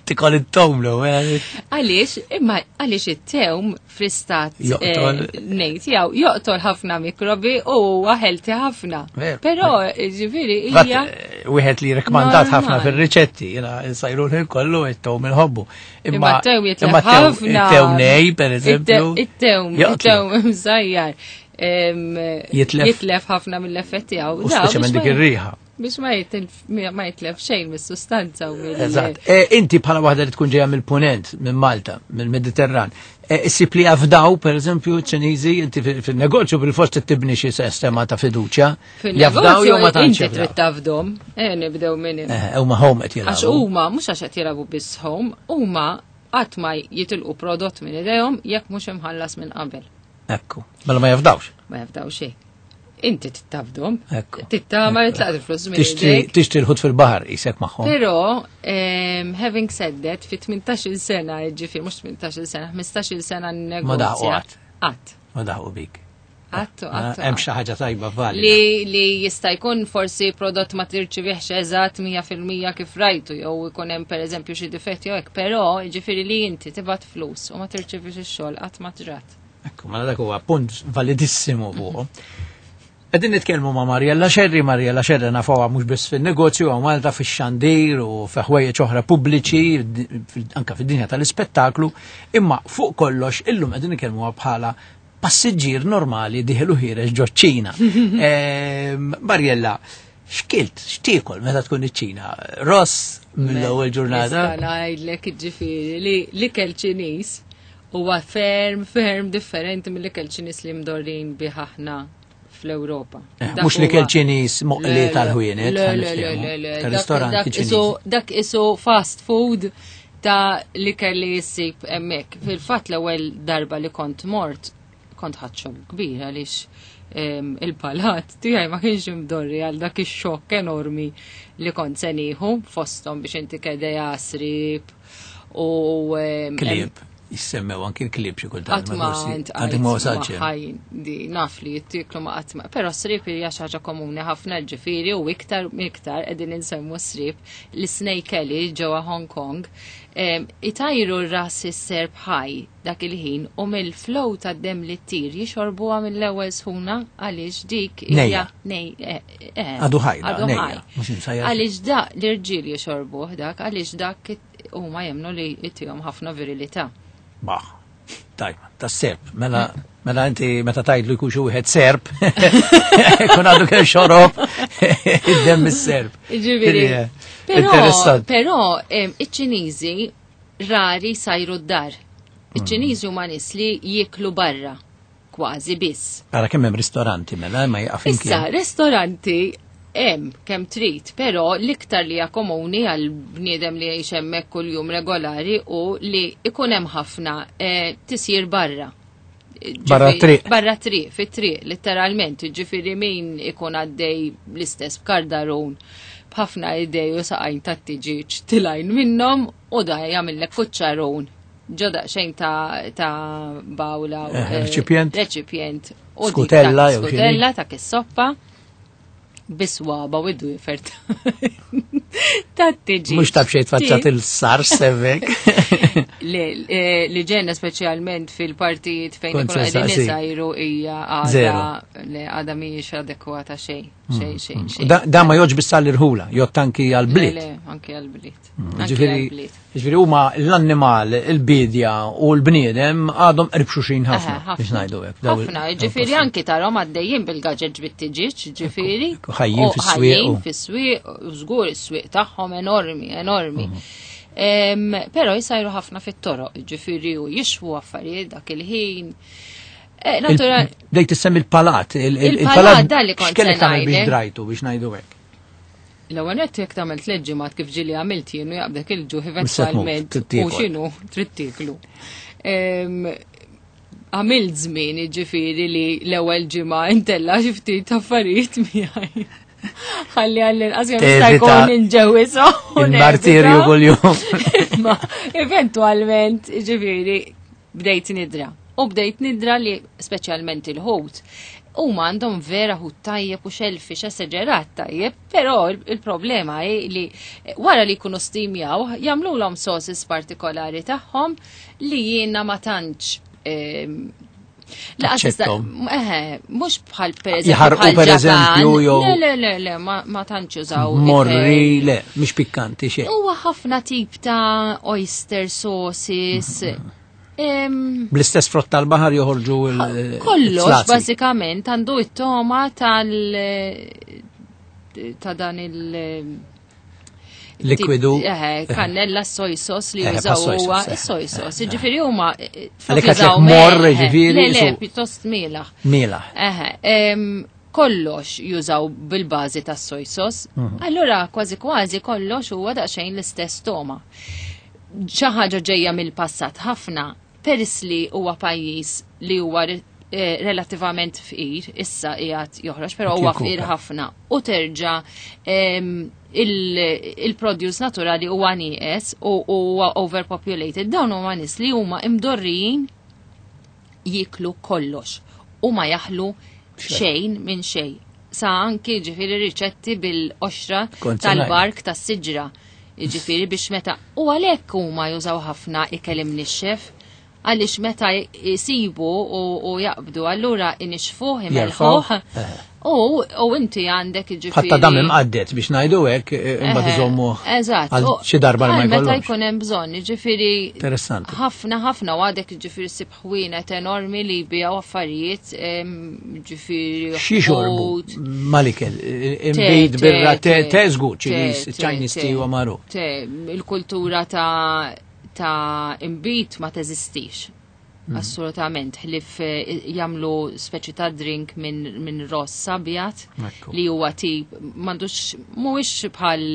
tikol it-tewm l Għaliex, imma għaliex it-tewm fl-istat Joqtol. eh, ngħid jew joqtol ħafna mikrobi u huwa healthy ħafna. Veru. Però ġifieri hija Wieħed li rekomandat ħafna Normali. fir-riċetti, jiena nsajru l kollu it-tewm inħobbu. Imma t-tewm jitlef imma t-tewm- ħafna. It-tewm nej, per eżempju. It-tewm, joqtlu. it-tewm msajjar. em, Jitlef. Jitlef ħafna mill-effetti tiegħu. U speċjalment dik ir-riħa. Biex ma jitlef ma jitlef xejn mis-sustanza u mill Eżatt. E, Inti bħala waħda li tkun ġejja mill-Punent, minn Malta, mill-Mediterran, e, issib li jafdaw, per eżempju, ċiniżi, inti fil- fil-negozju bil-fost tibni xi sistema ta' fiduċja. Jafdaw jew ma tantx Inti trid jafdaw. tafdom, eh nibdew minn hemm. Eh, Huma home qed Għax jilagħbu. huma mhux għax qed jilagħbu biss home, huma qatt ma jitilqu prodott minn idejhom jekk mhux imħallas minn qabel. Ekku. Mela ma jafdawx. Ma jafdaw xejn. Inti tittafdhom. Ekku. Tittama li tlaqt il-flus minn Tixtri idejk. tixtri l-ħut fil-baħar isek magħhom. Però, em, having said that, fi tmintax-il sena, ġifieri, mhux tmintax-il sena, ħmistax-il sena negozja. Ma daħqu qatt. Qatt. Ma daħqu bik. Qatt, qatt. Hemm xi ħaġa tajba valida. Li, li jista' jkun forsi prodott ma tirċivihx eżatt mija fil-mija kif rajtu, jew ikun hemm pereżempju xi difetti jew hekk, però jiġifieri li inti tibgħat flus u ma tirċivix ix-xogħol qatt ma ġrat. Ekku, mela dak huwa punt validissimu fuq. Qegħdin nitkellmu ma' Mariella Scerri, Mariella Scerri nafuha mhux biss fin-negozju, hawn Malta fix-xandir u fi ħwejjeġ oħra pubbliċi, fil- anka fid-dinja tal-ispettaklu, imma fuq kollox illum qegħdin nitkellmuha bħala passiġġier normali dieħel u ħiereġ ġo ċ-Ċina. Ehm, Mariella, x'kilt, x'tiekol meta tkun iċ-Ċina? Ross mill-ewwel ġurnata? Nista' ngħidlek ġifieri li l-ikel Ċiniż huwa ferm ferm differenti mill-ikel Ċiniż li mdorrin bih aħna fl-Ewropa. Eh, Dak mhux l-ikel huwa- Ċiniż moqli Le, le, tal-ħwienet, le, ħa le, niftehmu, le, le, le, tal-ristoranti dak- dak Ċiniżi. isu- Dak isu fast food ta' l-ikel li jissib hemmhekk. Fil-fatt l-ewwel darba li kont mort, kont ħadt xokk kbir għaliex em, il-palat tiegħi ma kienx imdorri għal dak ix-xokk enormi li kont se nieħu fosthom biex inti kedeja srib u em, Klieb, jissemmew anki l-klieb xi kultant. Qatt ma forsi ntqajt għadek ma wasalx hemm. ħaj di naf li jittiklu ma qatt ma. Però srib hija xi ħaġa komuni ħafna ġifieri u iktar iktar qegħdin insemmu srib l-Snake Alley ġewwa Hong Kong em, itajru r-ras is-serp ħaj dak il-ħin u mill-flow tad-dem li ttir jixorbuha mill-ewwel sħuna għaliex dik hija Nejja. nej eh, eh, Għadu ħaj, da, għadu nejja, ħaj. mhux imsajjar. Għaliex da l-irġiel jixorbuh dak għaliex dak huma jemmnu li jtihom ħafna virilità. Baħ, tajba, ta' serp. Mela, mela inti meta tgħidlu jkun xi wieħed serp, kun għadu kemm xorob id-demm is-serp. Ġifieri. Din hija Però, Interessanti. però em, iċ-Ċiniżi rari sajru d-dar. Iċ-Ċiniżi huma nies li jieklu barra kważi biss. Ara kemm hemm ristoranti mela ma jaqaf Issa, imkien. ristoranti hemm kemm trid, però l-iktar li hija komuni għal bniedem li jgħix hemmhekk kuljum regolari u li ikun hemm ħafna eh, tisjir barra. Ġifieri- Barra triq. Barra triq, fit-triq, letteralment. Ġifieri min ikun għaddej l-istess b'kardarun b'ħafna idej u saqajn ta' tiġiġ tilajn minnhom u da jagħmillek kuċċarun. Ġo daqsxejn ta' ta' bawla. Eh, eh, reċipjent. Reċipjent. U dik Skutella ta' jew xini. Skutella ta' kis-soppa biswaba u id-dwifer ta' tiġiġ. Mhux ta' bxejn tfaċċat il-sar sevek. Li eh, li ġenna speċjalment fil-partijiet fejn Kont ikunu se qegħdin saqsi. isajru hija għada Zero. le għada mhijiex adekwata xejn, xejn, xejn, xejn. Da da ma joġ biss għall-irħula, jgħod anki Le, għall-bliet. le, anki għall-bliet. Anki Ġifieri għall-bliet. ġifieri huma l-annimal, il-bidja u l-bniedem għadhom qrib xulxin ħafna Aha, biex ngħidu hekk. Daw il- Ħafna, daw ġifieri il-postijiet. anki tarhom għaddejjin bil-gaġeġ bit-tiġiġ, ġifieri. Ekku, ħajjin U fis-swieq Ħajjin u- fis-swieq, u żgur is-swieq tagħhom enormi, enormi. Mhm. Em, Però jisajru ħafna fit-toroq, ġifieri u jixwu affarijiet dak il-ħin. Eh, Il- Natural, Bdejt tissemmi il-palat. il- il- Il-palat, dan li kont X'kellek se tagħmel biex ngħidlek. drajtu biex ngħidu hekk. L-ewwel nett jekk tagħmel tliet ġimgħat kif ġieli għamilt jien u jaqbdek il-ġuħ eventwalment trid u tiekol. x'inhu trid tieklu. Em, Għamilt żmien jiġifieri li l-ewwel ġimgħa intella xi ftit affarijiet miegħi. Ħalli għall-inqas kemm jista' Tevita jkun inġewwiżhom u Il-martirju nevita. kuljum. Ma eventualment, ġifieri, bdejt nidra. U bdejt nidra li speċjalment il-ħut. Huma għandhom vera ħut tajjeb u shellfish esaġerat tajjeb, però il- il-problema hi li wara li jkunu steamjaw, jagħmluhom sauces partikolari tagħhom li jiena ma tantx ehm, Laqas tista' Taċċettom. eħe, mhux bħal per eżempju Jaħarqu bħal per eżempju, Ġapan. jew- Le, le, le, le, ma, ma tantx jużaw. Morri, ikel. le, mhix pikkanti xejn. Huwa ħafna tip ta' oyster sauces. Em, Bl-istess frott tal-baħar joħorġu il- Kollox il-slazzi. bażikament għandu it-toma tal ta' dan il Likwidu. tip- Eħe, kannella soy sauce li Eħe, jużaw bħas-soy huwa sauce, eħe, soy sauce. Ġifieri huma eh, flok Għalhekk jużaw għatlek morr, melħ, ġifieri, Le, le, su- pjuttost mielaħ. Mielaħ. Eħe, em, kollox jużaw bil-bażi tas soy sauce. Mhm. Allura kważi kważi kollox huwa daqsxejn l-istess toma. Xi ħaġa ġejja mill-passat ħafna peress li huwa pajjiż li huwa re- eh, relattivament fqir, issa qiegħed joħroġ, però huwa fqir Jirkupra. ħafna u terġa' em, il- il-produce naturali huwa nieqes u huwa overpopulated. Dawn huma nies li huma imdorrijin jiklu kollox u ma jaħlu xejn minn xejn. Sa anki ġifieri riċetti bil-qoxra Kont se tal-bark tas-siġra. Ġifieri biex meta u għalhekk huma jużaw ħafna ikel imnixxef għaliex meta jisibu u, u jaqbdu allura inixfuh Jerfgħuh, imelħuh u, u inti għandek ġifieri. Ħatta dam imqaddet biex ngħidu hekk eh, imbagħad Eħe, iżommu Eżatt. għal u- xi darba li ma għal Meta jkollhomx. jkun hemm bżonn, jiġifieri Interessanti. ħafna ħafna u għadek ġifieri ssib ħwienet enormi li jbijaw affarijiet em, ġifieri Xi xorbu ħut, malikel, imbid te, birra te te, te żgur te, Ċiniż, te, Chinese te. tea huwa magħruf. Te, il-kultura ta' ta' imbit ma teżistix. Mm. Assolutament, ħlif eh, jagħmlu speċi ta' drink minn min ross abjad Ekku. li huwa tip m'għandux mhuwiex bħal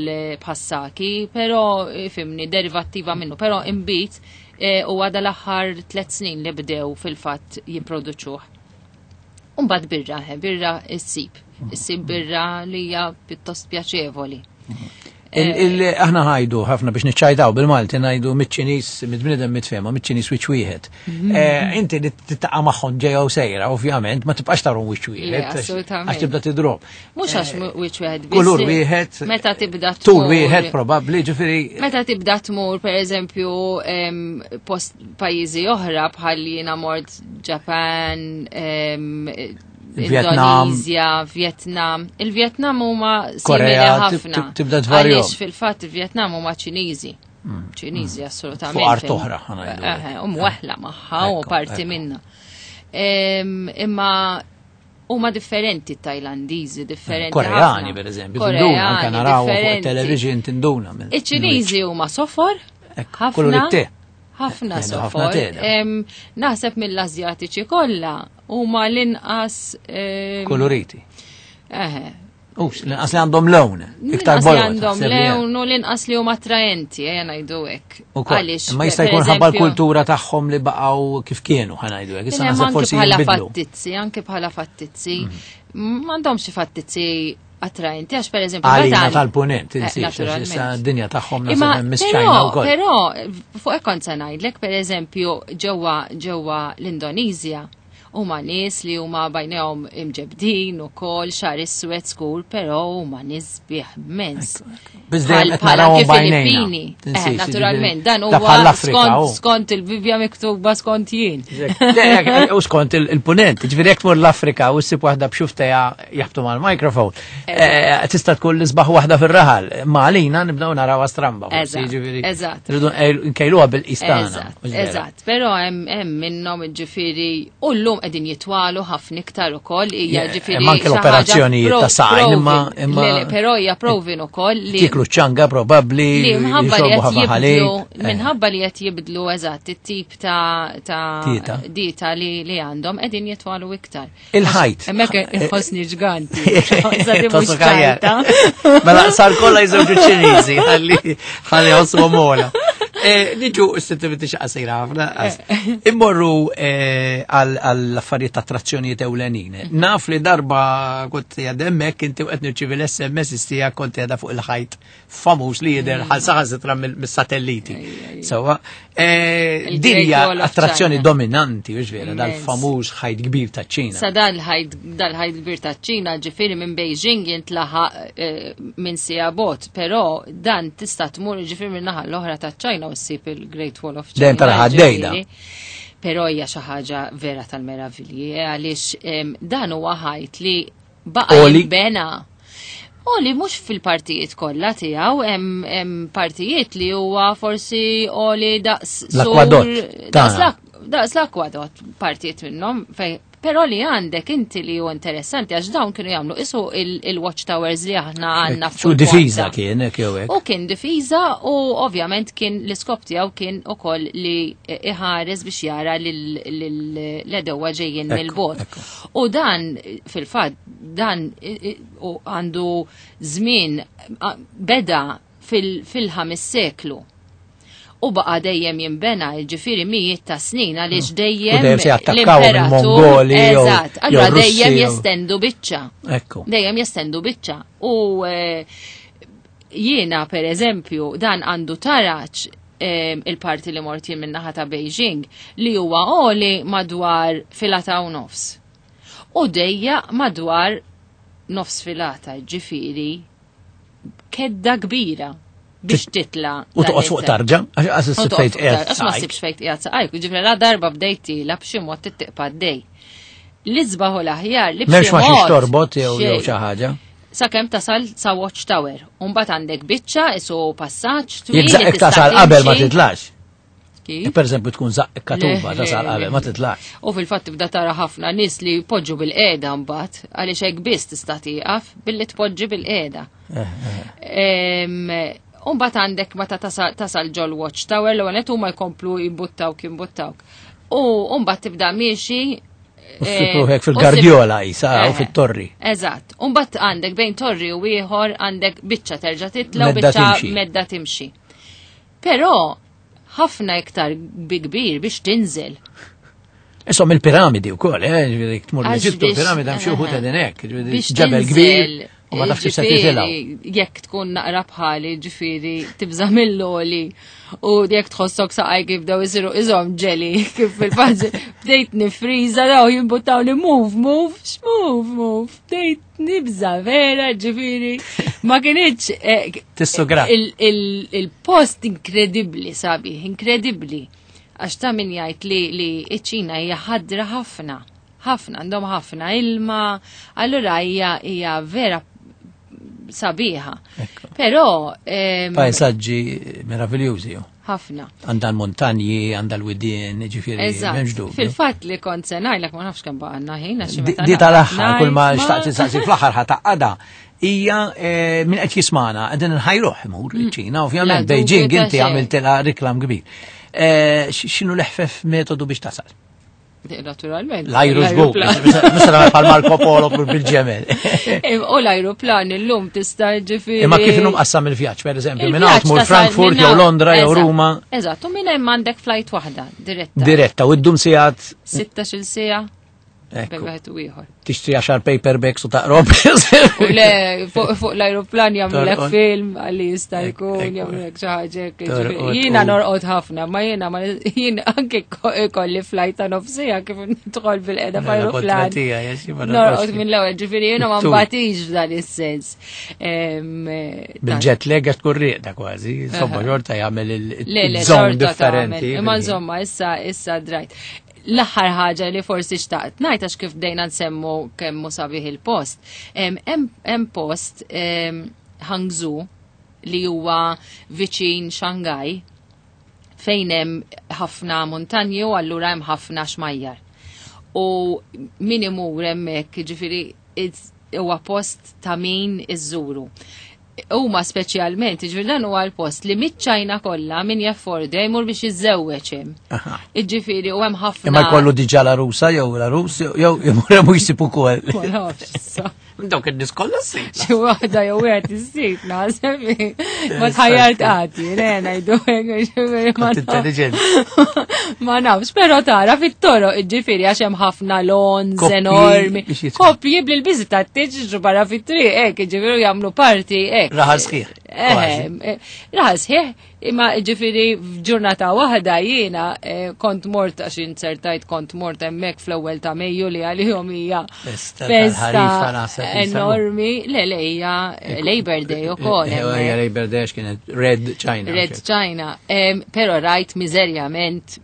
bħas-sake, però eh, fimni derivattiva minnu, però imbit eh, huwa dal-aħħar tliet snin li bdew fil-fatt jipproduċuh. Umbagħad birra, eh, birra issib. Issib birra li hija pjuttost pjaċevoli. Il- il- Aħna ħajdu ħafna biex niċċajtaw bil-Malti ngħidu miċ-Ċiniż, mit-bniedem mitfema, miċ-Ċiniż wiċċ wieħed. Mhm. Eh, Inti li titaqa' magħhom ġejja u sejra, ovvjament, ma tibqax tarhom wiċċ Le, wieħed. għax- assolutament. Għax tibda tidrob. Mhux għax wiċċ wieħed biss. Kulur wieħed. Meta tibda Tul tmur- wieħed probabbli, ġifieri. Meta tibda tmur, per eżempju, em, post pajjiżi oħra bħal jiena mort Japan, em, Vietnam. Indonesia, Vietnam. Il-Vietnam huma simili Korea, tib- ħafna. tib- tibda tvarjom. Għaliex fil-fatt il-Vietnam huma Ċiniżi. Ċiniżi assolutament. Fuq art oħra, ħa ngħidu. Eħe, U mweħla magħha u Ekku, parti ekku. minna. Em, Imma huma differenti Tajlandiżi, differenti. Koreani, ħafna. per eżempju, tinduna, anke Koreani, naraw fuq differenti. television tinduna. mill- Iċ-Ċiniżi huma sofor, Ekku, ħafna. kulur it-te. Ħafna Jgħidu ħafna sofor. te, da. Em, Naħseb mill-Azjatiċi kollha huma l-inqas em, Koloriti. Eħe. Ux, l-inqas li għandhom lewn. Iktar L-inqas li bojod. għandhom naħseb li hemm. lewn u l-inqas li huma attraenti, ejja ngħidu hekk. Ukoll. Għaliex, Imma jista' per jkun ħabba eżempju- l-kultura tagħhom li baqgħu kif kienu, ħa ngħidu hekk. Issa Kien hemm naħseb anke forsi bħala jinbidlu. fattizzi, anke bħala fattizzi. M'għandhomx xi fattizzi attraenti, għax per eżempju. Għalina meta- tal-punent, Eh, insiex, għax issa naturalment. d-dinja tagħhom Imma naħseb hemm Miss China però, wkoll. però, fuq hekk kont se ngħidlek, per eżempju, ġewwa ġewwa l-Indonezja huma nies li huma bajnejhom imġebdin ukoll xagħar iswed skur, però huma nies sbieħ immens. Biss dejjem Bħal- qed bħala narawhom anke bajnejna. Filippini. Eh, Tinsiex, naturalment, jiġifieri, dan ta' huwa bħall-Afrika, skont oh. skont il-Bibja miktuba skont jien. Le, U skont il- il-punent, ġifieri jekk tmur l-Afrika u ssib waħda b'xufteja jaħbtu mal-mikrofon, eh, tista' tkun l-isbaħ waħda fir-raħal. Ma għalina nibdew naraw stramba. forsi, Eżatt, ġifieri, eżatt. Rridu nkejluha bil-istana. Eżatt, eżatt, però hemm hemm minnhom ġifieri u llum qegħdin jitwalu ħafna iktar ukoll hija ġifieri. Hemm anke l-operazzjonijiet ta' saqajn imma imma. Però hija proven ukoll li Tiklu ċanga probabbli. Li minħabba li qed jibdlu minħabba li qed jibdlu eżatt it-tip ta' ta' dieta li li għandhom qegħdin jitwalu iktar. Il-ħajt. Hemmhekk inħossni ġganti. Mela sar kollha jżewġu Ċiniżi ħalli ħalli ħossuhom ogħla. Niġu s-sittiviti xaqsira ħafna. Immorru għall-affarijiet ta' attrazzjonijiet ewlenin. Naf li darba kont hemmhekk inti qed nirċievi l-S M S istija kont qiegħda fuq il-ħajt famuż li jidher saħansitra mis-satelliti. Sewwa, din hija attrazzjoni dominanti, hux vera, dal-famuż ħajt kbir ta' ċina. Sa dal-ħajt dal-ħajt kbir ta' ċina, ġifieri minn Beijing jintlaħaq minn siegħa bot, però dan tista' tmur ġifieri minn naħa l-oħra ta' ċina u ssib il-Great Wall of China. Dejjem tara ħaddejda. Però hija xi ħaġa vera tal-meravilji, għaliex dan huwa ħajt li baqa' jinbena. U li mhux fil-partijiet kollha tiegħu, hemm partijiet li huwa forsi għoli daqs l-akwadott. Daqs l-akwadott partijiet minnhom fej. Però li għandek inti li hu interessanti għax dawn kienu jagħmlu isu il-watchtowers li aħna għandna fuq. U difiża kien hekk jew hekk. U kien difiża u ovvjament kien l-iskop tiegħu kien ukoll li iħares biex jara l-edewwa ġejjin mill-bogħod. U dan fil-fatt dan għandu żmien beda fil-ħames seklu. U baqa dejjem jinbena, ġifieri mijiet ta' snin, għaliex dejjem l-Mongoli. Eżatt, allura dejjem jestendu biċċa. Dejjem jestendu biċċa. U jiena per eżempju dan għandu taraċ il-parti li mort jien min-naħa ta' Beijing li huwa għoli madwar filata u nofs. U dejja madwar nofs filata, ġifieri kedda kbira biex titla. U toqgħod fuq tarġa, għax issib fejn qiegħed. Għax ma ssibx fejn qiegħed saqajk, ġifieri la darba bdejt tila b'xi mod tittiqpa d-dej. L-isbaħ u l-aħjar li b'xi mod. M'hemmx torbot jew jew xi ħaġa. Sakemm tasal sa Watch Tower. U mbagħad għandek biċċa isu passaġġ twil. Jekk tasal qabel ma titlax. Per eżempju tkun żaqq katuba tasal qabel ma titlax. U fil-fatt tibda tara ħafna nies li jpoġġu bil-qiegħda mbagħad għaliex hekk biss tista' tieqaf billi tpoġġi bil-qiegħda. Umbagħad għandek meta tasal ġol Watch Tower l għanet huma jkomplu jimbuttawk jimbuttawk. U mbagħad tibda miexi Ruħek fil-Gardiola jisa u fit-torri. Eżatt. Umbagħad għandek bejn torri u ieħor għandek biċċa terġa' titla' u biċċa medda timxi. Però ħafna iktar bi kbir biex tinżel. Insomma il-piramidi wkoll, eh, tmur l-Eġittu l-piramidi hemm xi wħud qegħdin hekk, ġebel kbir. U ma tafx se titilgħu. Jekk tkun naqra bħali, ġifieri tibża' mill-għoli u jekk tħossok saqajk jibdew isiru iżhom ġeli kif fil-fatt bdejt nifriża daw jimbuttawni move, move, x'move, move. Bdejt nibża' vera, ġifieri ma kinitx Tissugra. Il-post inkredibbli sabiħ, inkredibbli. Għax ta' min jgħid li li ċ-Ċina hija ħadra ħafna, ħafna, għandhom ħafna ilma, allura hija hija vera sabiħa. Però pajsaġġi meraviljużi. Ħafna. Għandha l-montanji, għandha l-widien, ġifieri m'hemmx dubju. Fil-fatt li kont se ngħidlek ma nafx kemm baqgħna ħin għax meta Di tal-aħħar kull ma xtaqt insaqsi fl-aħħar ħa taqgħadha hija min qed jismana qegħdin inħajruh imur iċ-Ċina, ovvjament Beijing inti għamiltilha reklam kbir. X'inhu l-eħfef metodu biex tasal? Naturalment. L-ajru żgur, mista bħal Marco Polo bil-ġemel. U l-ajruplan illum tista' ġifieri. Imma kif inhom qassam il-vjaġġ, pereżempju, minn hawn tmur Frankfurt jew Londra jew Ruma. Eżatt, u minn hemm għandek flight waħda diretta. Diretta, u ddum sigħat. Sittax-il siegħa. Bejn wieħed u ieħor. Tixtri għaxar paperbacks u taqrob. U le, fuq l-ajruplan jagħmlulek film għalli jista' jkun jagħmlulek xi ħaġa hekk. Jiena norqod ħafna, ma jiena ma jiena anke ikolli flight ta' nofsija kif nidħol bil-qiegħda f'ajruplan. Norqod mill-ewwel, ġifieri jiena ma nbatix f'dan is-sens. Bil-jet lag għax tkun rieqda kważi, insomma xorta jagħmel il-żon differenti. Imma insomma issa issa drajt. L-aħħar ħaġa li forsi xtaqt ngħid għax kif bdejna nsemmu kemm hu sabiħ il-post. Hemm post Hangzhou li huwa viċin Shanghai fejn hemm ħafna montanji u allura hemm ħafna xmajjar. U min imur hemmhekk, jiġifieri huwa post ta' min iżżuru. Huma speċjalment, jiġifieri dan huwa l-post li miċ-Ċajna kollha min jaffordja jmur biex jiżżewweġ hemm. Jiġifieri u hemm ħafna. Imma jkollu diġà la Rusa jew la Rus jew imur hemm jsib ukoll. Ma nafx issa. Dawk in-nies kollha ssib. Xi waħda jew wieħed issib naħseb. Ma tħajjart qati, le ngħidu hekk, jiġifieri ma Kont nafx. intelligent. Ma nafx, però tara fit-toroq, jiġifieri għax hemm ħafna lawns Koppji enormi. biex jitfgħu. Koppji bl-biżi tat-tiġ barra fit-triq hekk, jiġifieri jagħmlu parti hekk. Raħal sħiħ, Eh, kważi. eh, raħal sħiħ, imma ġifieri f'ġurnata waħda jiena, eh, kont mort għax inzertajt kont mort hemmhekk fl-ewwel ta' Mejju li għalihom hija Festa festa tal-ħarifa naħseb li enormi. Le, le, hija Labor Day ukoll Eh, hemmhekk. Hija Labor Day għax kienet Red China. Red China. Em, Però rajt miżerjament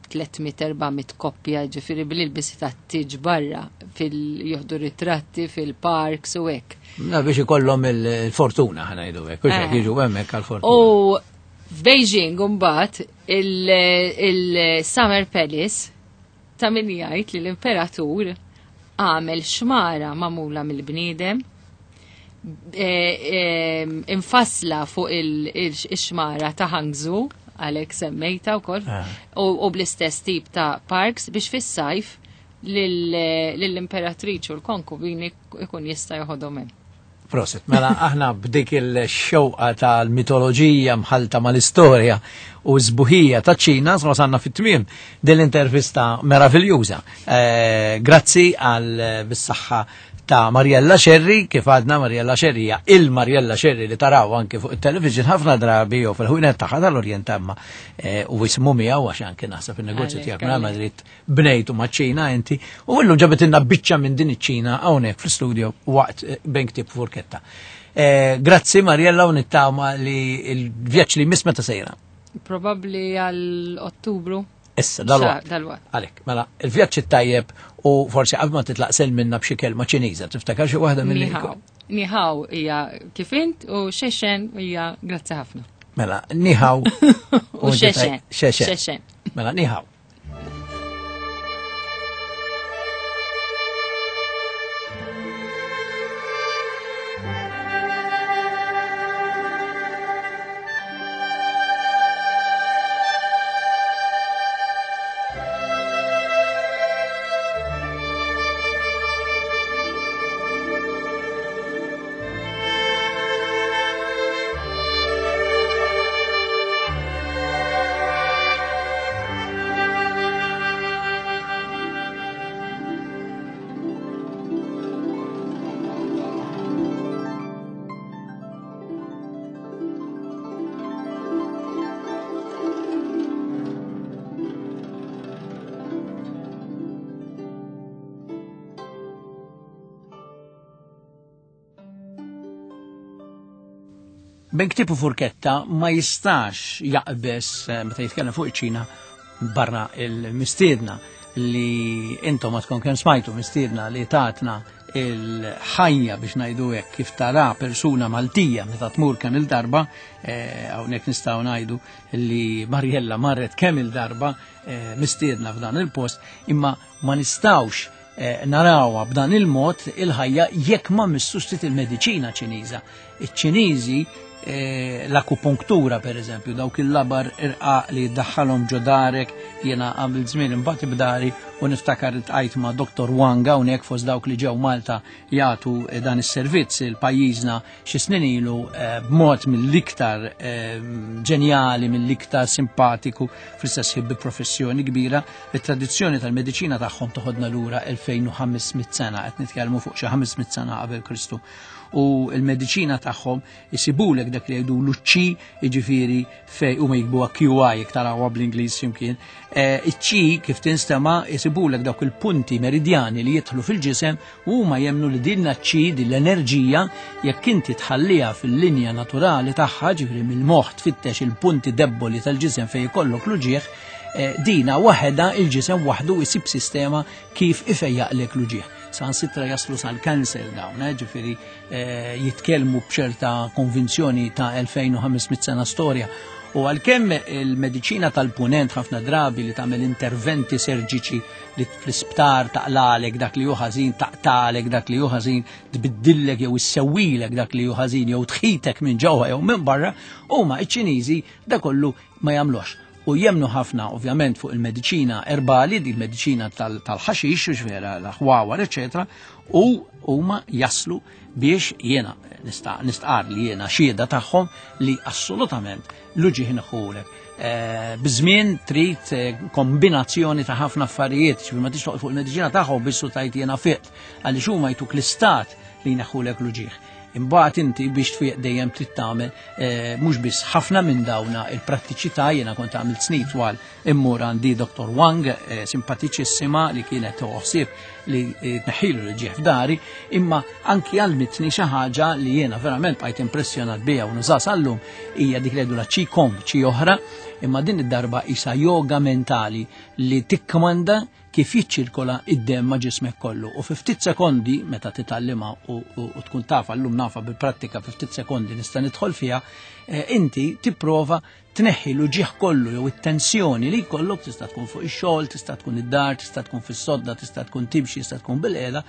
tliet mitt erba' mitt koppja, ġifieri bil-ilbisi tat-tiġ barra fil juħdu ritratti fil-parks u hekk. Na biex ikollhom il-fortuna ħa ngħidu hekk, u x'hekk Eh. jiġu hemmhekk għall-fortuna. U f'Beijing mbagħad il-Summer Palace ta' min jgħid li l-imperatur għamel xmara magħmula mill-bniedem, eh, eh, infassla fuq il-xmara ta' Hangzhou, għalhekk semmejta wkoll, Ah. u, u bl-istess tip ta' parks biex fis-sajf lill-imperatriċi u l-konkubini ikun jista' joħodhom hemm. Prosit, mela aħna b'dik il-xewqa tal-mitoloġija mħalta mal-istorja u żbuħija ta' ċina wasalna fit-tmiem din l-intervista meraviljuża. Eh, grazzi għal bis-saħħa ta' Mariella Scerri, kif għadna Mariella Scerri hija il-Mariella Scerri li taraw anke fuq il-television ħafna drabi jew fil-ħwienet tagħha tal-Orjent imma, eh, u jismu miegħu għax anke naħseb in-negozju Għalhekk, tiegħek minn għalhekk. Madrid bnejtu maċ-Ċina inti u illum ġabetilna biċċa minn din iċ-Ċina hawnhekk fl-studio waqt, eh, bejn ktieb furketta. Eh, grazzi Mariella u nittama li l-vjaġġ li jmiss meta sejra. Probabbli għal Ottubru. Issa, dal-waqt. Xa, dal-waqt. Għalek, mela, il-vjaġġ it-tajjeb u forsi qabel ma titlaq sel minna b'xi kelma Ċiniża, tiftakar xi waħda mill Niħaw. Niħaw hija kif int u xexen hija grazzi ħafna. Mela, niħaw U xexen. Xexen. Xexen. Mela, niħaw. Ben ktieb u furketta ma jistax jaqbes, eh, meta jitkellem fuq iċ-Ċina barra il-mistiedna li intom ma tkun kemm smajtu mistiedna li tatna il-ħajja biex ngħidu hekk kif tara persuna Maltija meta tmur kemm il-darba, eh, hawnhekk nistgħu ngħidu li Mariella marret kemm il-darba, eh, mistiedna f'dan il-post, imma ma nistgħux, eh, narawha b'dan il-mod il-ħajja jekk ma missux ftit il-mediċina Ċiniża. Iċ-Ċiniżi, eh, l-akupunktura per eżempju, dawk il-labar irqaq li jiddaħħalhom ġo darek, jiena għamil żmien imbagħad b'dari u niftakar iltqajt ma' Doktor Wang hawnhekk fost dawk li ġew Malta jagħtu, eh, dan is-servizz il pajjiżna xi snin ilu, eh, b'mod mill-iktar, eh, ġenjali, mill-iktar simpatiku, fl-istess ħin bi professjoni kbira. It-tradizzjoni tal-mediċina tagħhom toħodna lura elfejn u ħames mitt sena, qed nitkellmu fuq xi ħames mitt sena qabel Kristu. U l-mediċina tagħhom isibulek dak li jgħidu l-ċi, jiġifieri fej huma jikbuha Q I jekk tarawha bl-Ingliż x'imkien. Eh, iċ-ċi kif tinstema' isibulek dawk il-punti meridjani li jidħlu fil-ġisem u huma jemmnu li din ċi, din l-enerġija, jekk inti tħalliha fil-linja naturali tagħha, ġifieri mill-moħħ tfittex il-punti debboli tal-ġisem fejn ikollok l-uġieħ, eh, dina waħedha il-ġisem waħdu jsib sistema kif ifejjaqlek l-uġieħ. San sitra jaslu sal-kanser dawn, eh, ġifieri, eh, jitkellmu b'ċerta konvinzjoni ta' elfejn u ħames mitt sena storja. U għalkemm il-mediċina tal-punent ħafna drabi li tagħmel interventi serġiċi li fl-isptar taqlalek dak li hu ħażin, taqtalek dak li hu ħażin, tbiddillek jew issewwilek dak li hu ħażin jew tħitek minn ġewwa jew minn barra, huma iċ-Ċiniżi da kollu ma jagħmlux. U jemnu ħafna ovvjament fuq il-mediċina erbali, di il-mediċina tal-ħaxix, u vera l-ħwawar, eċetera, u huma jaslu biex jiena nistqar li jiena xhieda tagħhom li assolutament l-uġigħ inħulek. Biżmien trid kombinazzjoni ta' ħafna affarijiet, ġifieri ma tix toqgħod fuq il-mediċina tagħhom biss u tajt jiena fiqt, għaliex huma jtuk l-istat li jneħħulek l-uġigħ. Imbagħad inti biex tfiq dejjem trid tagħmel mhux biss ħafna minn dawna il-prattiċità. Jiena kont għamilt snin twal immur għandi Doktor Wang, simpatiċissima, li kienet toħsib li tneħħilu l-ġieħ f'dari, imma anki għalmitni xi ħaġa li jiena verament bqajt impressjonat biha u nuża sal-lum, hija dik li jgħidulha Qigong, qi oħra, imma din id-darba isa yoga mentali li tikkmanda kif jiċċirkola id-demm ma' ġismek kollu. U fi ftit sekondi, meta titgħallimha u, u, u tkun tafa llum nafa bil-prattika, fi ftit sekondi nista' nidħol fiha, eh, inti tipprova tneħħi l-uġigħ kollu jew it-tensjoni li jkollok, tista' tkun fuq ix-xogħol, tista' tkun id-dar, tista' tkun fis-sodda, tista' tkun timxi, tista' tkun bil-qiegħda,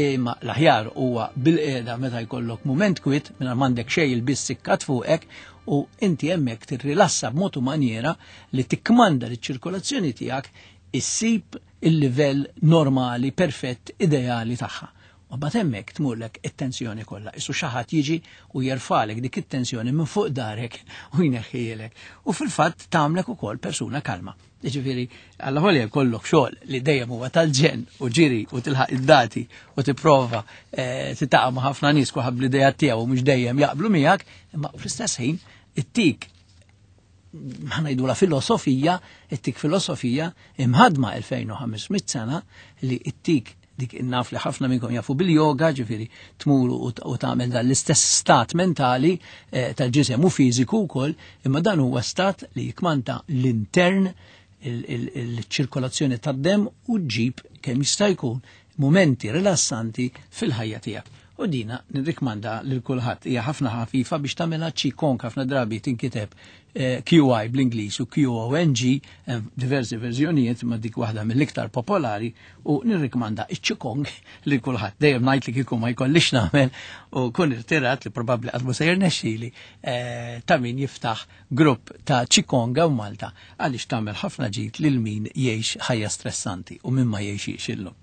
imma l-aħjar huwa bil-qiegħda meta jkollok mument kwit mingħajr m'għandek xejn il-biss sikkat fuqek, u inti hemmhekk tirrilassa b'mod u maniera li tikkmanda liċ-ċirkolazzjoni tiegħek issib il-livell normali, perfett, ideali tagħha. U mbagħad hemmhekk tmurlek it-tensjoni kollha. Isu xi ħadd jiġi u jerfalek dik it-tensjoni minn fuq darek u jneħħielek. U fil-fatt tagħmlek ukoll persuna kalma. Jiġifieri alla ħolja jkollok xogħol li dejjem huwa tal-ġenn u ġiri u tilħaq id-dati u tipprova titaqa' ma' ħafna nies kulħadd bl-idea tiegħu u mhux dejjem jaqblu miegħek, imma fl-istess ħin it-tik ħanajdu la filosofija, it-tik filosofija imħadma elfejn u ħames mitt sena li it-tik dik innaf li ħafna minnkom jafu bil-yoga, ġifieri tmur u tagħmel dan l-istess stat mentali eh, tal-ġisem u fiżiku wkoll, imma dan huwa stat li jikmanta l-intern, il-ċirkolazzjoni tad-demm u ġib kemm jista' jkun momenti rilassanti fil-ħajja tiegħek. U dina nirrikmanda lil kulħadd, hija ħafna ħafifa biex tagħmilha Qigong, ħafna drabi tinkiteb Q I bl-Ingliż u Q O N G, diversi verżjonijiet, ma dik waħda mill-iktar popolari, u nirrikmanda iċ-Qigong lil kulħadd. Dejjem ngħid li kieku ma jkollix nagħmel u kun irtirat li probabbli qatt ma se jirnexxieli ta' min jiftaħ grupp ta' Qigong hawn Malta, għaliex tagħmel ħafna ġid lil min jgħix ħajja stressanti u min ma jgħixix illum.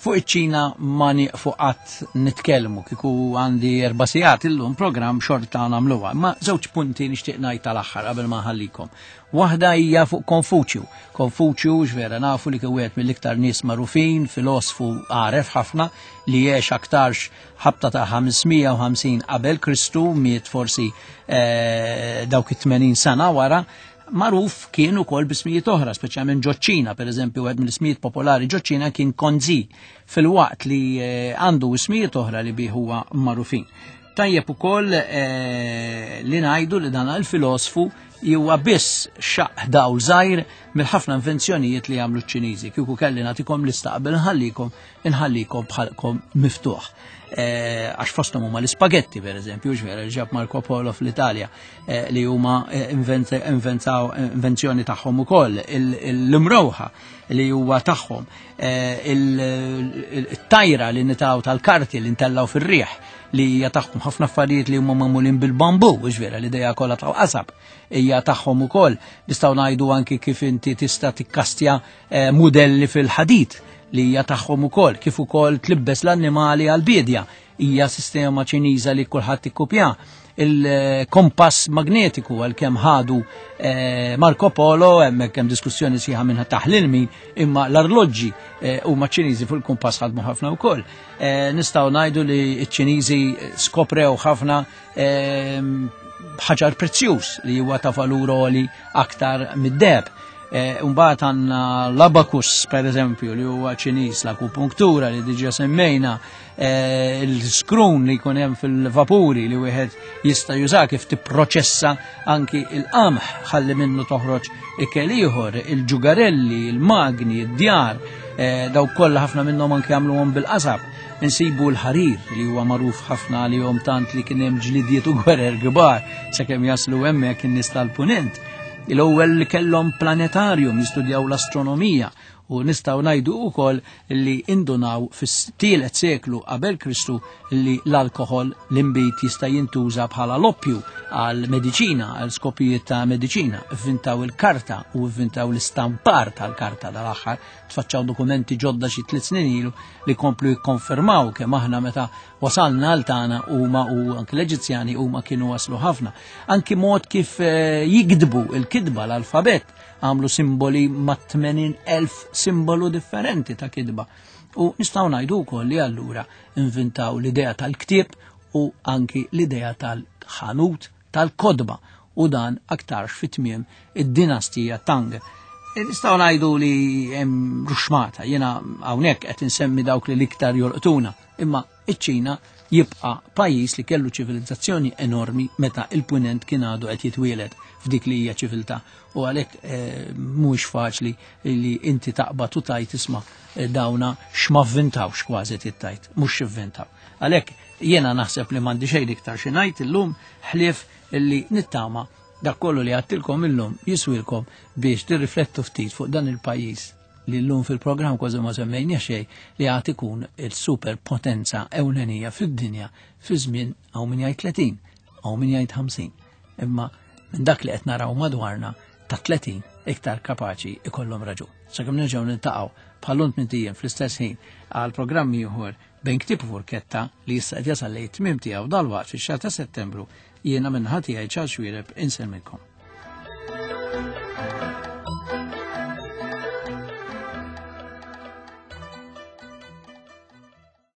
Fuq iċ-Ċina ma nieqfu qatt nitkellmu, kieku għandi erba' sigħat illum programm xorta nagħmluha. Ma żewġ punti nixtieq ngħid tal-aħħar qabel ma nħallikom. Waħda hija fuq Konfuċju. Konfuċju x'vera nafu li kien wieħed mill-iktar nies magħrufin, filosfu għaref ħafna li għex aktarx ħabta ta' ħamsmija u ħamsin qabel Kristu, miet forsi eh, dawk it-tmenin sena wara. Magħruf kien ukoll b'ismijiet oħra, speċjalment ġoċ-Ċina, pereżempju wieħed mill-ismijiet popolari ġoċ-Ċina kien Konzi, filwaqt li għandu ismijiet oħra li bih huwa magħrufin. Tajjeb ukoll eh, li ngħidu li dan il-filosfu huwa biss xaq dawl żgħir mill-ħafna invenzjonijiet li jagħmlu ċ-Ċiniżi. Kieku kelli nagħtikom lista qabel nħallikom, inħallikom bħalkom miftuħ. Għax fosthom huma l-ispagetti pereżempju, ġvera li ġab Marco Polo fl-Italja, li huma inventaw invenzjoni tagħhom ukoll, l-imrowħa li huwa tagħhom, il-tajra li nitaw tal-karti li ntellaw fir-riħ li hija tagħhom, ħafna affarijiet li huma magħmulin bil-bambu, ġvera l-idea kollha ta' qasab hija tagħhom ukoll. Nistgħu ngħidu anki kif inti tista' tikkastja mudelli fil-ħadid li hija tagħhom ukoll, kif ukoll tlibbes l-annimali għall-bidja, hija sistema Ċiniża li kulħadd ikkupja. Il-kompass magnetiku għalkemm ħadu Marco Polo, hemmhekk hemm diskussjoni sħiħa minn taħlil min, imma l-arloġġi huma Ċiniżi fuq il-kompass ħadmu ħafna wkoll. Nistgħu ngħidu li ċ-Ċiniżi skoprew ħafna ħaġar prezzjuż li huwa ta' valur għoli aktar mid-deheb. Mbagħad għandna l-abakus pereżempju li huwa Ċiniż, l-akupunktura li diġà semmejna, il-skrun li jkun hemm fil-vapuri li wieħed jista' juża kif tipproċessa anki il-qamħ ħalli minnu toħroġ ikel ieħor, il-ġugarelli, il-magni, id-djar. Eh, daw kollha ħafna minnhom anke għamluhom bil-qasab. Insibu l-ħarir li huwa magħruf ħafna għalihom tant li kien hemm ġlidiet u gwerer kbar sakemm jaslu hemmhekk in-nies tal-punent. L-ewwel li kellhom planetarium jistudjaw l-astronomija u nistgħu ngħidu wkoll li indunaw fis-tielet seklu qabel Kristu li l-alkoħol l-inbid jista' jintuża bħala l-oppju għal mediċina, għal skopijiet ta' mediċina. Ivvintaw il-karta u ivvintaw l-istampar tal-karta dal-aħħar, tfaċċaw dokumenti ġodda xi tliet snin ilu li komplu jikkonfermaw kemm aħna meta wasalna għal tagħna huma u anki l-Eġizzjani huma kienu waslu ħafna. Anki mod kif eh, jikdbu il-kidba l-alfabet, għamlu simboli ma' tmenin elf simbolu differenti ta' kidba. U nistgħu ngħidu wkoll li allura invintaw l-idea tal-ktieb u anki l-idea tal-ħanut tal-kodba, u dan aktarx fit-tmiem id-dinastija Tang. E, nistgħu ngħidu li hemm ruxmata, jiena hawnhekk qed insemmi dawk li l-iktar jolqtuna, imma iċ-Ċina jibqa' pajjiż li kellu ċivilizzazzjoni enormi meta il-punent kien għadu qed jitwieled f'dik li hija ċiviltà, u għalhekk eh, mhuwiex faċli li inti taqbad u tajt isma' eh, dawna x'ma vvintawx kważi tittajt, mhux x'ivvintaw. Għalhekk jiena naħseb li m'għandi xejn iktar xi ngħid illum ħlief li nittama dak kollu li għattilkom illum jiswilkom biex tirriflettu ftit fuq dan il-pajjiż li llum fil-programm kważi ma semmejna xejn li għad ikun il-superpotenza ewlenija fid-dinja fi żmien hawn min jgħid tletin, hawn min jgħid ħamsin. Imma minn dak li qed naraw madwarna ta' tletin iktar kapaċi ikollhom raġun. Sakemm nerġgħu niltaqgħu bħal-lum tmien ijiem fl-istess ħin għal programm ieħor bejn ktieb u furketta li issa qed jasal lejn tmiem tiegħu dalwaqt fix-xahar ta' Settembru, jiena minn ħadd tiegħi Charles Xuereb insellmilkom.